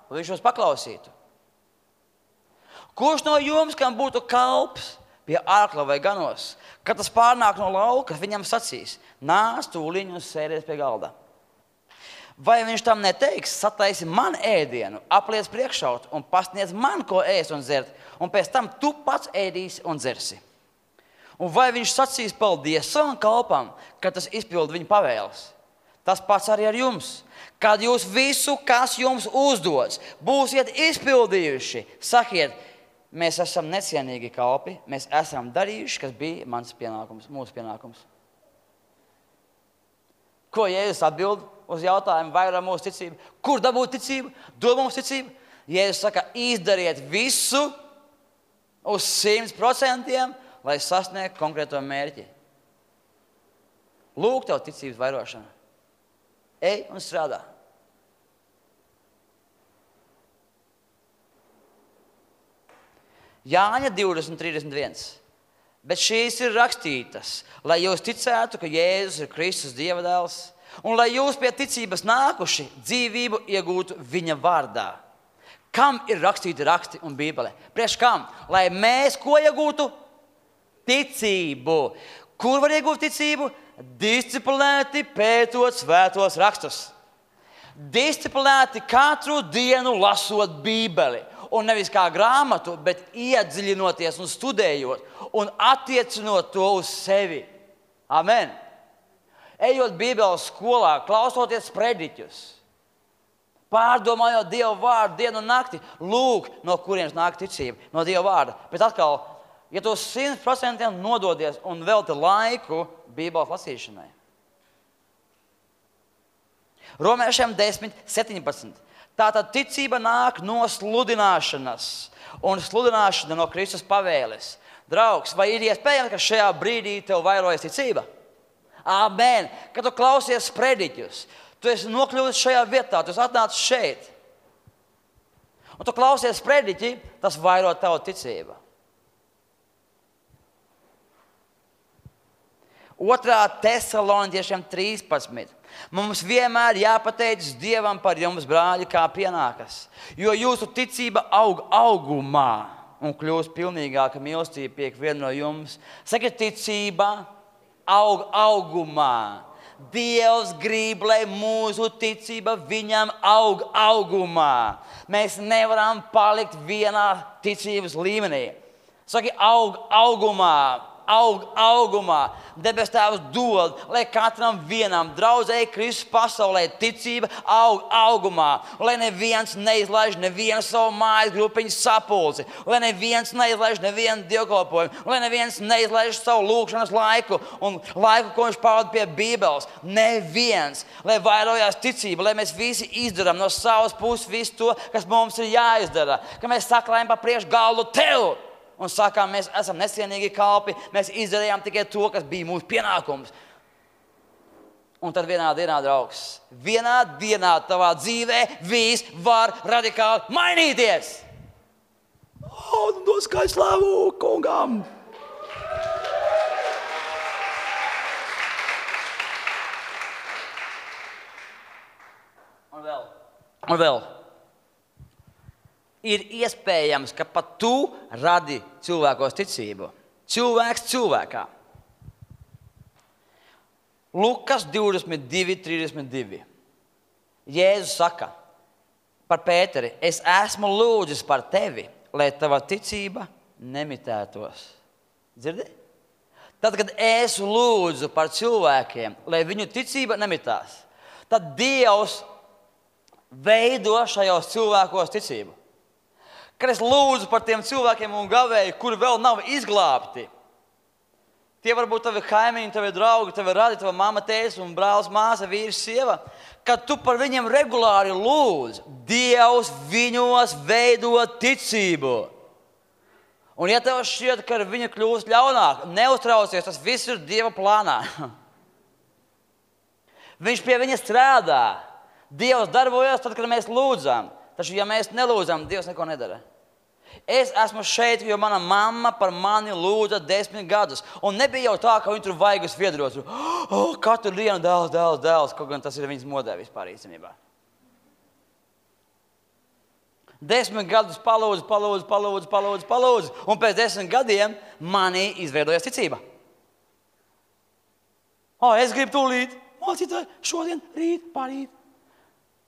lai viņš jūs paklausītu. Kurš no jums, kam būtu kalps pie ārkla vai ganos, kad tas pārnāk no lauka, viņam sacīs, nāc tūliņ un sēdies pie galda? Vai viņš tam neteiks, sataisi man ēdienu, apliec priekšaut un pasniedz man, ko ēst un dzert, un pēc tam tu pats ēdīsi un dzersi? Un vai viņš sacīs paldies savam kalpam, kad tas izpild viņa pavēles? Tas pats arī ar jums. Kad jūs visu, kas jums uzdots, būsiet izpildījuši, sakiet, mēs esam necienīgi kalpi, mēs esam darījuši, kas bija mans pienākums, mūsu pienākums. Ko Jēzus atbild uz jautājumu, vai ir mūsu ticība? Kur dabūt ticību? Dod mums ticību? Jēzus saka, izdariet visu uz 100%, lai sasniegtu konkrēto mērķi. Lūk, tev ticības vairošana. Ej un strādā. Jāņa 20.31. Bet šīs ir rakstītas, lai jūs ticētu, ka Jēzus ir Kristus Dieva dēls, un lai jūs pie ticības nākuši dzīvību iegūtu viņa vārdā. Kam ir rakstīti raksti un Bībele? Priekš kam? Lai mēs ko iegūtu? Ticību. Kur var iegūt ticību? Disciplinēti pētot svētos rakstus. Disciplinēti katru dienu lasot Bībeli. Un nevis kā grāmatu, bet iedziļinoties un studējot un attiecinot to uz sevi. Amen. Ejot Bībeles skolā, klausoties prediķus, pārdomājot Dieva vārdu dienu un nakti, lūk, no kurienes nāk ticība, no Dieva vārda. Bet atkal, ja tu 100% nododies un velti laiku Bībeles lasīšanai. Romiešiem 10.17. Tātad ticība nāk no sludināšanas, un sludināšana no Kristus pavēles. Draugs, vai ir iespējams, ka šajā brīdī tev vairojas ticība? Amen. Kad tu klausies prediķus, tu esi nokļuvis šajā vietā, tu esi atnācis šeit. Un tu klausies prediķi, tas vairo tavu ticību. 2. Tesaloniķiešiem 13. Mums vienmēr jāpateicas Dievam par jums, brāļi, kā pienākas, jo jūsu ticība aug augumā un kļūst pilnīgāka mīlestība pie ikviena no jums. Sakiet, ticība aug augumā. Dievs grib, lai mūsu ticība viņam aug augumā. Mēs nevaram palikt vienā ticības līmenī. Saki, aug augumā. Aug augumā. Debes Tēvs dod, lai katram vienam draudzēji Kristus pasaulē ticība aug augumā. Lai neviens neizlaiž nevienu savu mājas grupiņu sapulci. Lai neviens neizlaiž nevienu dievkalpojumu. Lai neviens neizlaiž savu lūkšanas laiku un laiku, ko viņš pavada pie Bībeles. Neviens. Lai vairojās ticība, lai mēs visi izdarām no savas puses visu to, kas mums ir jāizdara. Ka mēs saklājam pa priekš galdu tev. Un sakām, mēs esam necienīgi kalpi, mēs izdarījām tikai to, kas bija mūsu pienākums. Un tad vienā dienā, draugs, vienā dienā tavā dzīvē viss var radikāli mainīties. Noskaidro slavu kungam! Un vēl. Ir iespējams, ka pat tu radi cilvēkos ticību. Cilvēks cilvēkā. Lukas 22:32. Jēzus saka par Pēteri: es esmu lūdzis par tevi, lai tava ticība nemitētos. Dzirdi? Tad, kad es lūdzu par cilvēkiem, lai viņu ticība nemitās, tad Dievs veido šajos cilvēkos ticību. Kad es lūdzu par tiem cilvēkiem un gavēju, kuri vēl nav izglābti, tie var būt tavi kaimiņi, tavi draugi, tavi radi, tava mamma, tēvs un brālis, māsa, vīrs, sieva. Kad tu par viņiem regulāri lūdz, Dievs viņos veido ticību. Un ja tev šķiet, ka viņi kļūst ļaunāk, neuztraucies, tas viss ir Dieva plānā. Viņš pie viņa strādā. Dievs darbojas tad, kad mēs lūdzam. Taču, ja mēs nelūdzam, Dievs neko nedara. Es esmu šeit, jo mana mamma par mani lūdza 10 gadus. Un nebija jau tā, ka viņi tur vaigas viedros. Katru dienu dēls. Kaut gan tas ir viņas modē vispār īstenībā. 10 gadus palūdzu. Un pēc 10 gadiem manī izveidojas ticība. Es gribu tūlīt mācīt šodien, rīt, parīt.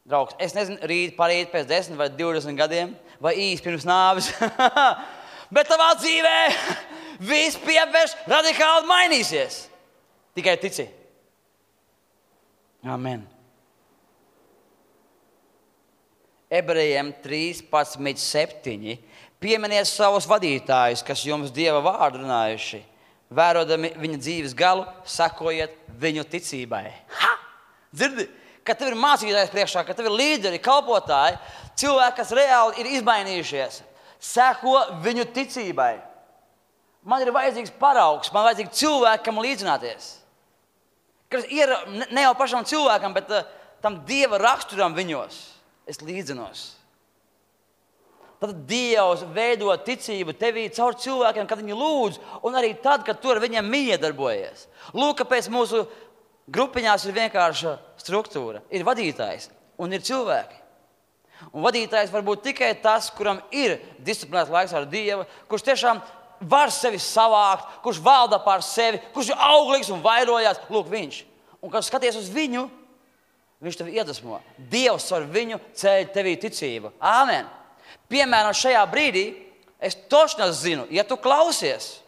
Draugs, es nezinu, rīt, parīt, pēc 10 vai 20 gadiem, vai īsti pirms nāves. Bet tavā dzīvē viss pievērš radikāli mainīsies. Tikai tici. Amen. Ebrejiem 13:7. Pieminiet savus vadītājus, kas jums Dieva vārdu runājuši. Vērojot viņa dzīves galu, sekojiet viņu ticībai. Dzirdi? Kad tev ir mācītājs priekšā, kad tev ir līderi, kalpotāji, cilvēki, kas reāli ir izmainījušies, seko viņu ticībai. Man ir vajadzīgs paraugs, man vajadzīgi cilvēki, kam līdzināties. Kas ir ne jau pašam cilvēkam, bet tam Dieva raksturam viņos. Es līdzinos. Tad Dievs veido ticību tevī caur cilvēkiem, kad viņi lūdz, un arī tad, kad tu ar viņiem miedarbojies. Lūk, kāpēc mūsu grupiņās ir vienkārša struktūra. Ir vadītājs un ir cilvēki. Un vadītājs var būt tikai tas, kuram ir disciplinēts laiks ar Dievu, kurš tiešām var sevi savākt, kurš valda pār sevi, kurš ir auglīgs un vairojās. Lūk, viņš. Un kad skaties uz viņu, viņš tevi iedvesmo. Dievs ar viņu ceļ tevī ticību. Āmen. Piemēram, šajā brīdī es tošņas zinu, ja tu klausies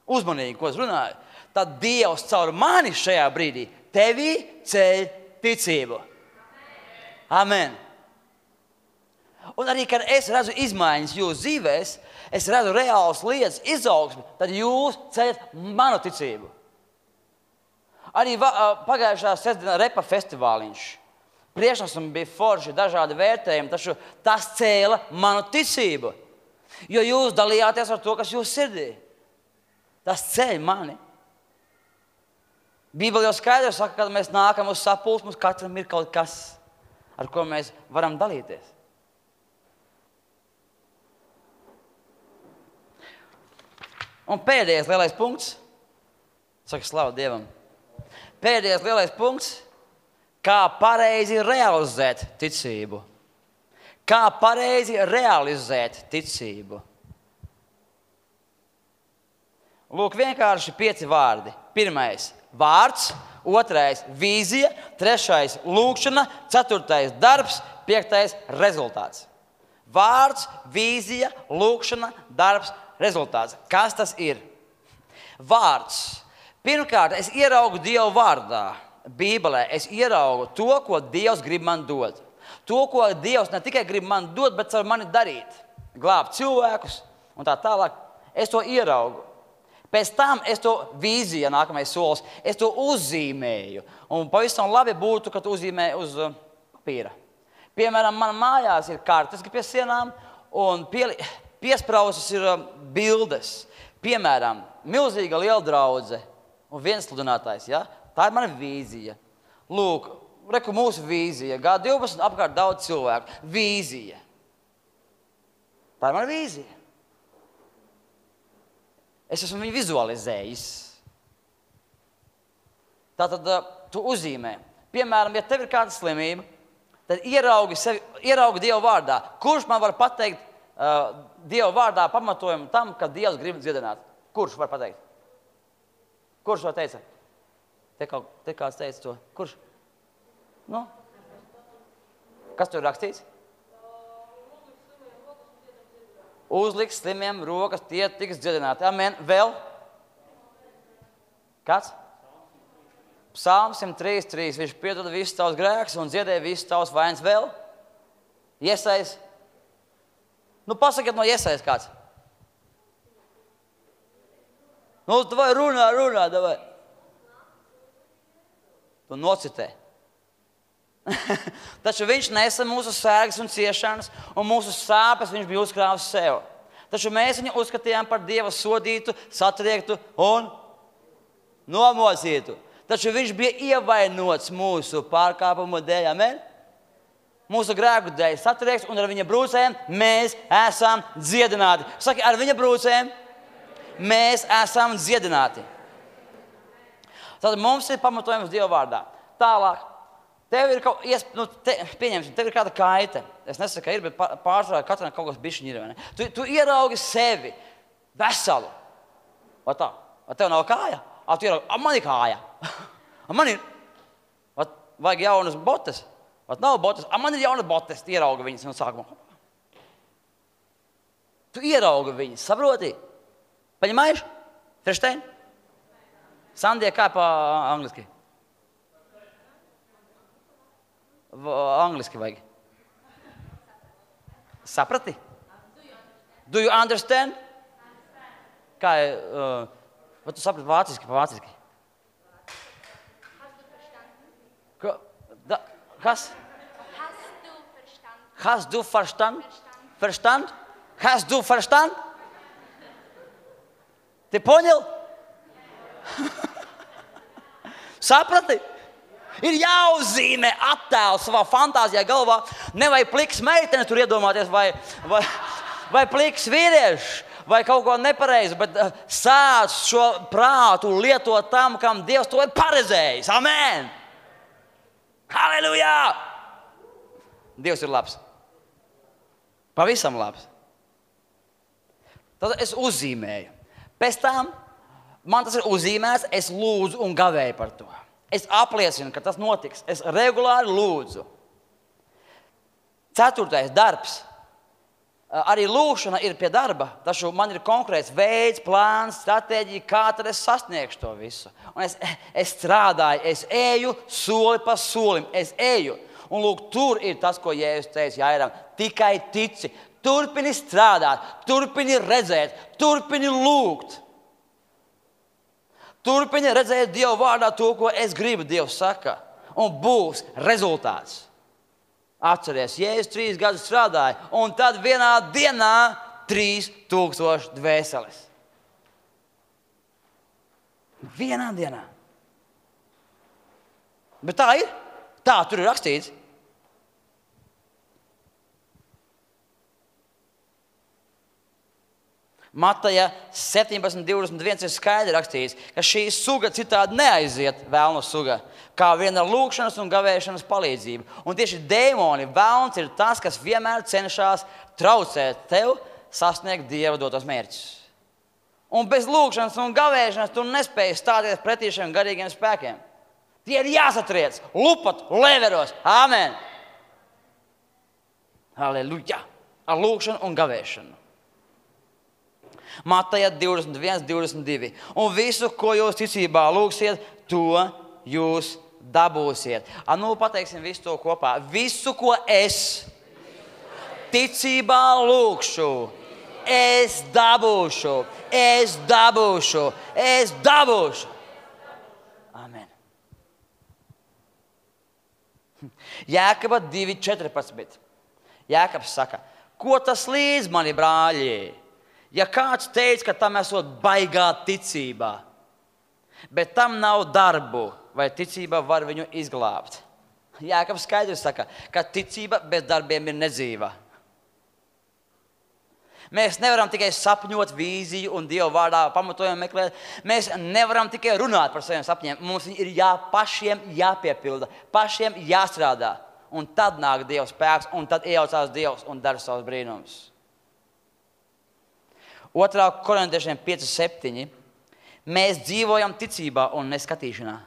uzmanīgi, ko es runāju, tad Dievs caur mani šajā brīdī tevī ceļ ticību. Amen. Un arī, kad es redzu izmaiņas jūsu dzīvēs, es redzu reālas lietas, izaugsmi, tad jūs ceļat manu ticību. Arī pagājušā sestdienā repa festivāliņš. Priekšnesumi bija forši, dažādi vērtējumi, taču tas cēla manu ticību. Jo jūs dalījāties ar to, kas jūs sirdī. Tas ceļ mani. Bībele jau skaidri saka, kad mēs nākam uz sapulci, mums katram ir kaut kas, ar ko mēs varam dalīties. Un pēdējais lielais punkts, saka slavu Dievam, pēdējais lielais punkts, kā pareizi realizēt ticību. Kā pareizi realizēt ticību. Lūk, vienkārši 5 vārdi. Pirmais – vārds, otrais – vīzija, trešais – lūkšana, ceturtais – darbs, 5. – rezultāts. Vārds, vīzija, lūkšana, darbs, rezultāts. Kas tas ir? Vārds. Pirmkārt, es ieraugu Dievu vārdā, Bībelē. Es ieraugu to, ko Dievs grib man dot. To, ko Dievs ne tikai grib man dot, bet ar mani darīt. Glābt cilvēkus un tā tālāk. Es to ieraugu. Pēc tam es to vīziju, nākamais solis, es to uzzīmēju. Un pavisam labi būtu, ka tu uzzīmē uz papīra. Piemēram, man mājās ir kartes pie sienām un piespraustas ir bildes. Piemēram, milzīga liela draudze un viens sludinātājs. Ja? Tā ir mana vīzija. Lūk, reku mūsu vīzija. G12 apkārt daudz cilvēku. Vīzija. Tā ir mana vīzija. Es esmu viņu vizualizējis. Tātad tu uzzīmē. Piemēram, ja tev ir kāda slimība, tad ieraugi Dievu vārdā. Kurš man var pateikt Dievu vārdā pamatojumu tam, ka Dievs grib dziedināt? Kurš var pateikt? Kurš to teica? Te kāds teica to. Kurš? Nu? Kas tur rakstīts? Uzliks slimiem rokas, tie tiks dziedināti. Amen. Vēl? Kāds? Psalms 103:3. Viņš piedod visus tavus grēkus un dziedē visus tavus vainas. Vēl? Iesais? Nu, pasakiet no Iesais kāds. Nu, davai runā, davai. Tu nocitē. Taču viņš nesa mūsu sērgas un ciešanas, un mūsu sāpes viņš bija uzkrāvis sev. Taču mēs viņu uzskatījām par Dieva sodītu, satriektu un nomocītu. Taču viņš bija ievainots mūsu pārkāpumu dēļ. Amen? Mūsu grēku dēļ satriekts, un ar viņa brūcēm mēs esam dziedināti. Saki, ar viņa brūcēm mēs esam dziedināti. Tad mums ir pamatojums Dieva vārdā. Tālāk. Tev ir pieņemsim, tev ir kāda kaita. Es nesaku, ka ir, bet pārsvarā katram kaut kas bišķiņ ir. Tu ieraugi sevi veselu. Vai tā? Vai tev nav kāja? Tu ieraugi, man ir kāja. Man ir. Vajag jaunas botas. Nav botas. Man ir jaunas botas. Tu ieraugi viņas no sākuma. Tu ieraugi viņas. Saproti? Paņemājuši? Ferštein? Sandija, kā pa angliski? Angliski vajag. Saprati? Do you understand? Kā vai tu saprati vāciski? Kas? Hast du verstanden? Verstand? Hast du verstanden? Ты понял? Saprati? Ir jāuzzīmē attēls savā fantāzijā galvā. Nevajag pliks meiteni tur iedomāties vai pliks vīrieši vai kaut ko nepareizu, bet sāc šo prātu lietot tam, kam Dievs to ir paredzējis. Amen! Halleluja! Dievs ir labs. Pavisam labs. Tad es uzzīmēju. Pēc tam man tas ir uzzīmēts, es lūdzu un gavēju par to. Es apliecinu, ka tas notiks. Es regulāri lūdzu. 4. darbs. Arī lūkšana ir pie darba, taču man ir konkrēts veids, plāns, stratēģija, kā tad es sasniegšu to visu. Un es strādāju, es eju soli pa solim, es eju. Un lūk, tur ir tas, ko Jēzus teica Jairam. Tikai tici, turpini strādāt, turpini redzēt, turpini lūgt. Turpini redzēt Dievu vārdā to, ko es gribu, Dievs saka. Un būs rezultāts. Atceries, Jēzus 3 gadus strādāja, un tad vienā dienā 3000 dvēseles. Vienā dienā. Bet tā ir. Tā tur ir rakstīts. Mataja 17:21 ir skaidri rakstīts, ka šī suga citādi neaiziet, vēlnu suga, kā viena ar lūkšanas un gavēšanas palīdzību. Un tieši dēmoni, vēlns ir tas, kas vienmēr cenšas traucēt tev sasniegt Dieva dotos mērķus. Un bez lūkšanas un gavēšanas tu nespēji stāties pretī šiem garīgiem spēkiem. Tie ir jāsatriec, lupat, leveros. Amen! Halleluja! Ar lūkšanu un gavēšanu. Mataja 21:22. Un visu, ko jūs ticībā lūgsiet, to jūs dabūsiet. Nu, pateiksim visu to kopā. Visu, ko es ticībā lūgšu, es dabūšu, es dabūšu, es dabūšu. Amen. Jēkaba 2:14. Jēkabs saka, ko tas līdz mani brāļi? Ja kāds teica, ka tam esot baigā ticībā, Bet tam nav darbu, vai ticība var viņu izglābt. Jākabs skaidrs saka, ka ticība bez darbiem ir nedzīva. Mēs nevaram tikai sapņot vīziju un Dieva vārdā pamatojumu meklēt. Mēs nevaram tikai runāt par saviem sapņiem. Mums ir pašiem jāpiepilda, pašiem jāstrādā. Un tad nāk Dieva spēks, un tad iejaucās Dievs un dara savus brīnumus. 2. Korintiešiem 5:7. Mēs dzīvojam ticībā un neskatīšanā.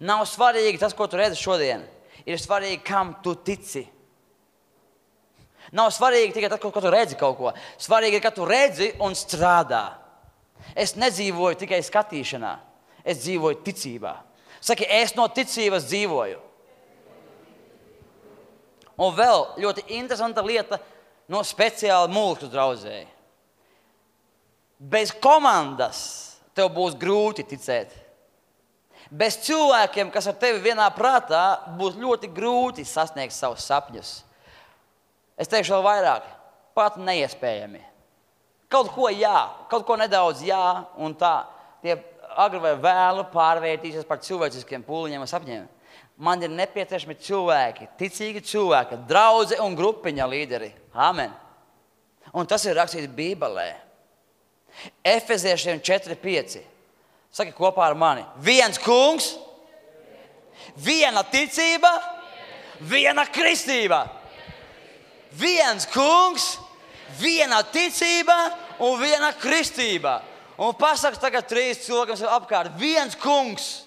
Nav svarīgi tas, ko tu redzi šodien. Ir svarīgi, kam tu tici. Nav svarīgi tikai tas, ko tu redzi kaut ko. Svarīgi ir, ka tu redzi un strādā. Es nedzīvoju tikai skatīšanā. Es dzīvoju ticībā. Saki, es no ticības dzīvoju. Un vēl ļoti interesanta lieta no speciāla mūžu draudzēji. Bez komandas tev būs grūti ticēt. Bez cilvēkiem, kas ar tevi vienā prātā, būs ļoti grūti sasniegt savus sapņus. Es teikšu vēl vairāk, pat neiespējami. Kaut ko jā, kaut ko nedaudz jā, un tā tie agri vai vēlu pārvērtīsies par cilvēciskiem pūliņiem un sapņiem. Man ir nepieciešami cilvēki, ticīgi cilvēki, draudze un grupiņa līderi. Amen. Un tas ir rakstīts Bībelē. Efeziešiem 4:5. Saki kopā ar mani. Viens kungs, viena ticība, viena kristība. Viens kungs, viena ticība un viena kristība. Un pasaka tagad 3 cilvēkiem sev apkārt. Viens kungs,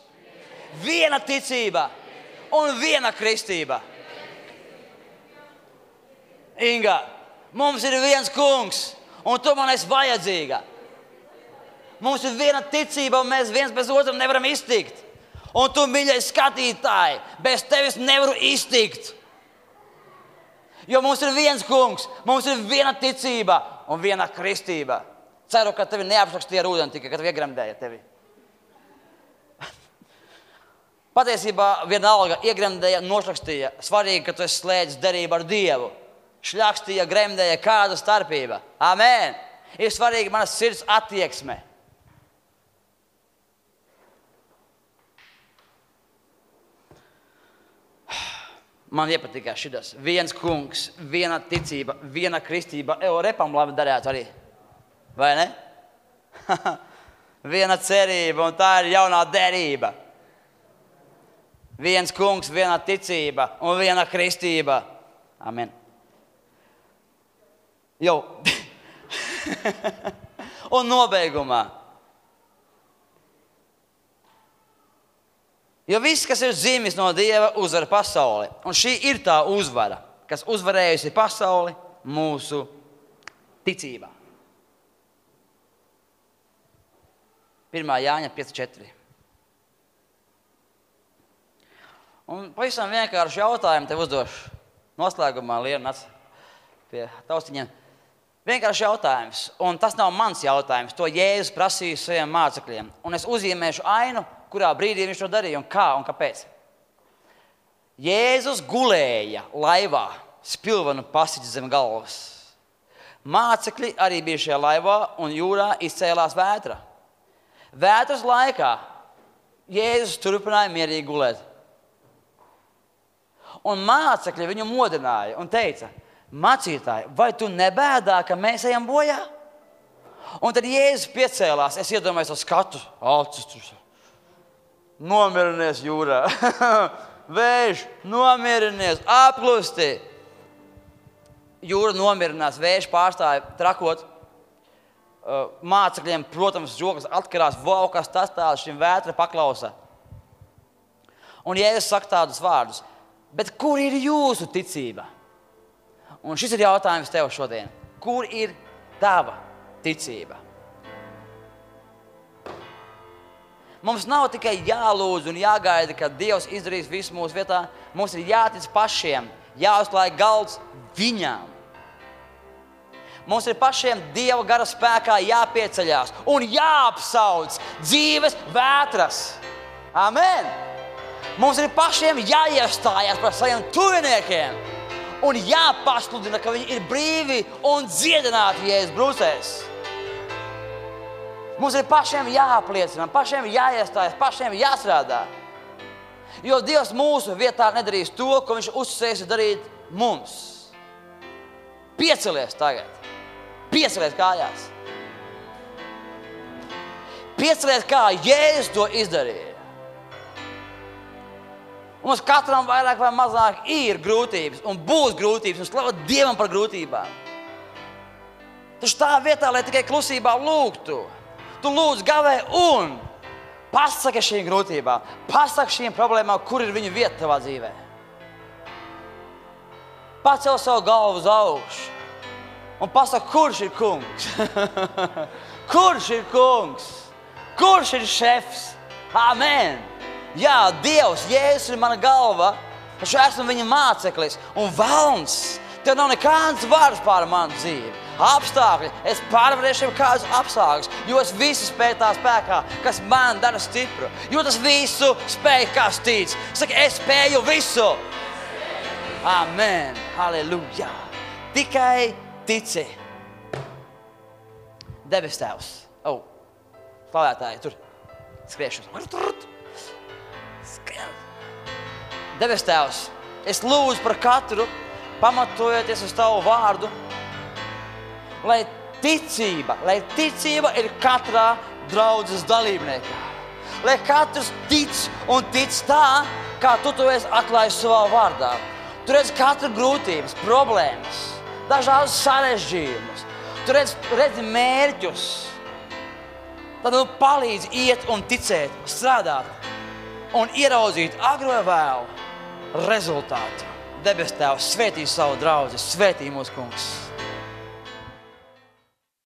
viena ticība un viena kristība. Inga, mums ir viens kungs, un tu man esi vajadzīga. Mums ir viena ticība, un mēs viens bez otram nevaram iztikt. Un tu, mīļais skatītāji, bez tevis nevaru iztikt. Jo mums ir viens kungs, mums ir viena ticība un viena kristība. Ceru, ka tevi neapšakstīja ar ūdeni tikai, kad iegremdēja tevi. Patiesībā vienalga iegremdēja, nošakstīja. Svarīgi, ka tu esi slēdzis derību ar Dievu. Šļakstīja, gremdēja, kāda starpība. Amen. Ir svarīgi manas sirds attieksme. Man iepatikās šitas. Viens kungs, viena ticība, viena kristība. Repam labi darētu arī. Vai ne? Viena cerība, un tā ir jaunā derība. Viens kungs, viena ticība un viena kristība. Amen. Jau. Un nobeigumā. Jo viss, kas ir dzimis no Dieva, uzvar pasauli. Un šī ir tā uzvara, kas uzvarējusi pasauli mūsu ticībā. 1. Jāņa 5:4. Un pavisam vienkārši jautājumu tev uzdošu. Noslēgumā Liena nāc pie taustiņiem. Vienkārši jautājums. Un tas nav mans jautājums. To Jēzus prasīja saviem mācekļiem. Un es uzzīmēšu ainu, kurā brīdī viņš to darīja un kā un kāpēc. Jēzus gulēja laivā, spilvenu pasiķi zem galvas. Mācekļi arī bija šajā laivā un jūrā izcēlās vētra. Vētras laikā Jēzus turpināja mierīgi gulēt. Un mācekļi viņu modināja un teica, mācītāji, vai tu nebēdā, ka mēs ejam bojā? Un tad Jēzus piecēlās, es iedomājos to skatu, acis, nomierinies jūrā, vējš, nomierinies, apklusti. Jūra nomierinās, vējš pārstāja trakot. Mācekļiem, protams, žokas atkarās, wow, kas tas tāds, šim vētra paklausa. Un Jēzus saka tādus vārdus, bet kur ir jūsu ticība? Un šis ir jautājums tev šodien. Kur ir tava ticība? Mums nav tikai jālūdz un jāgaida, ka Dievs izdarīs visu mūsu vietā. Mums ir jātic pašiem, jāuzklāj galds viņām. Mums ir pašiem Dieva gara spēkā jāpieceļās un jāapsauc dzīves vētras. Amen! Mums ir pašiem jāiestājās par saviem tuviniekiem un jāpasludina, ka viņi ir brīvi un dziedināti Jēzus brūcēs. Mums ir pašiem jāapliecina, pašiem jāiestājas, pašiem jāstrādā. Jo Dievs mūsu vietā nedarīs to, ko viņš uzsēs darīt mums. Piecelies tagad. Piecelies kājās. Piecelies kā Jēzus to izdarīja. Mums katram vairāk vai mazāk ir grūtības un būs grūtības un slavu Dievam par grūtībām. Taču tā vietā, lai tikai klusībā lūgtu, tu lūdz gavē un pasaki šīm grūtībām, pasaki šīm problēmām, kur ir viņa vieta tavā dzīvē. Pacel savu galvu uz augšu un pasaki, kurš ir kungs? Kurš ir kungs? Kurš ir šefs? Amen! Jā, Dievs, Jēzus ir mana galva, taču esmu viņa māceklis un velns. Tev nav nekāds vārds pār manu dzīvi. Apstākļi, es pārvarēšu kādus apstākļus, jo es visu spēju tā spēkā, kas man dara stipru. Jo tas visu spēju, kas tic. Saka, es spēju visu. Amen. Halleluja. Tikai tici. Debes Tēvs. Slavētāji, tur skriešos. Debes Tēvs, es lūdzu par katru, pamatojoties uz Tavu vārdu, lai ticība ir katrā draudzes dalībniekā. Lai katrs tic un tic tā, kā Tu to esi atklājis savā vārdā. Tu redzi katru grūtības, problēmas, dažādus sarežģījumus. Tu redzi mērķus. Tad Tu palīdzi iet un ticēt, strādāt un ieraudzīt agru vai vēlu rezultātu. Debes Tēvs, svētī savu draudzi, svētī mūsu kungs.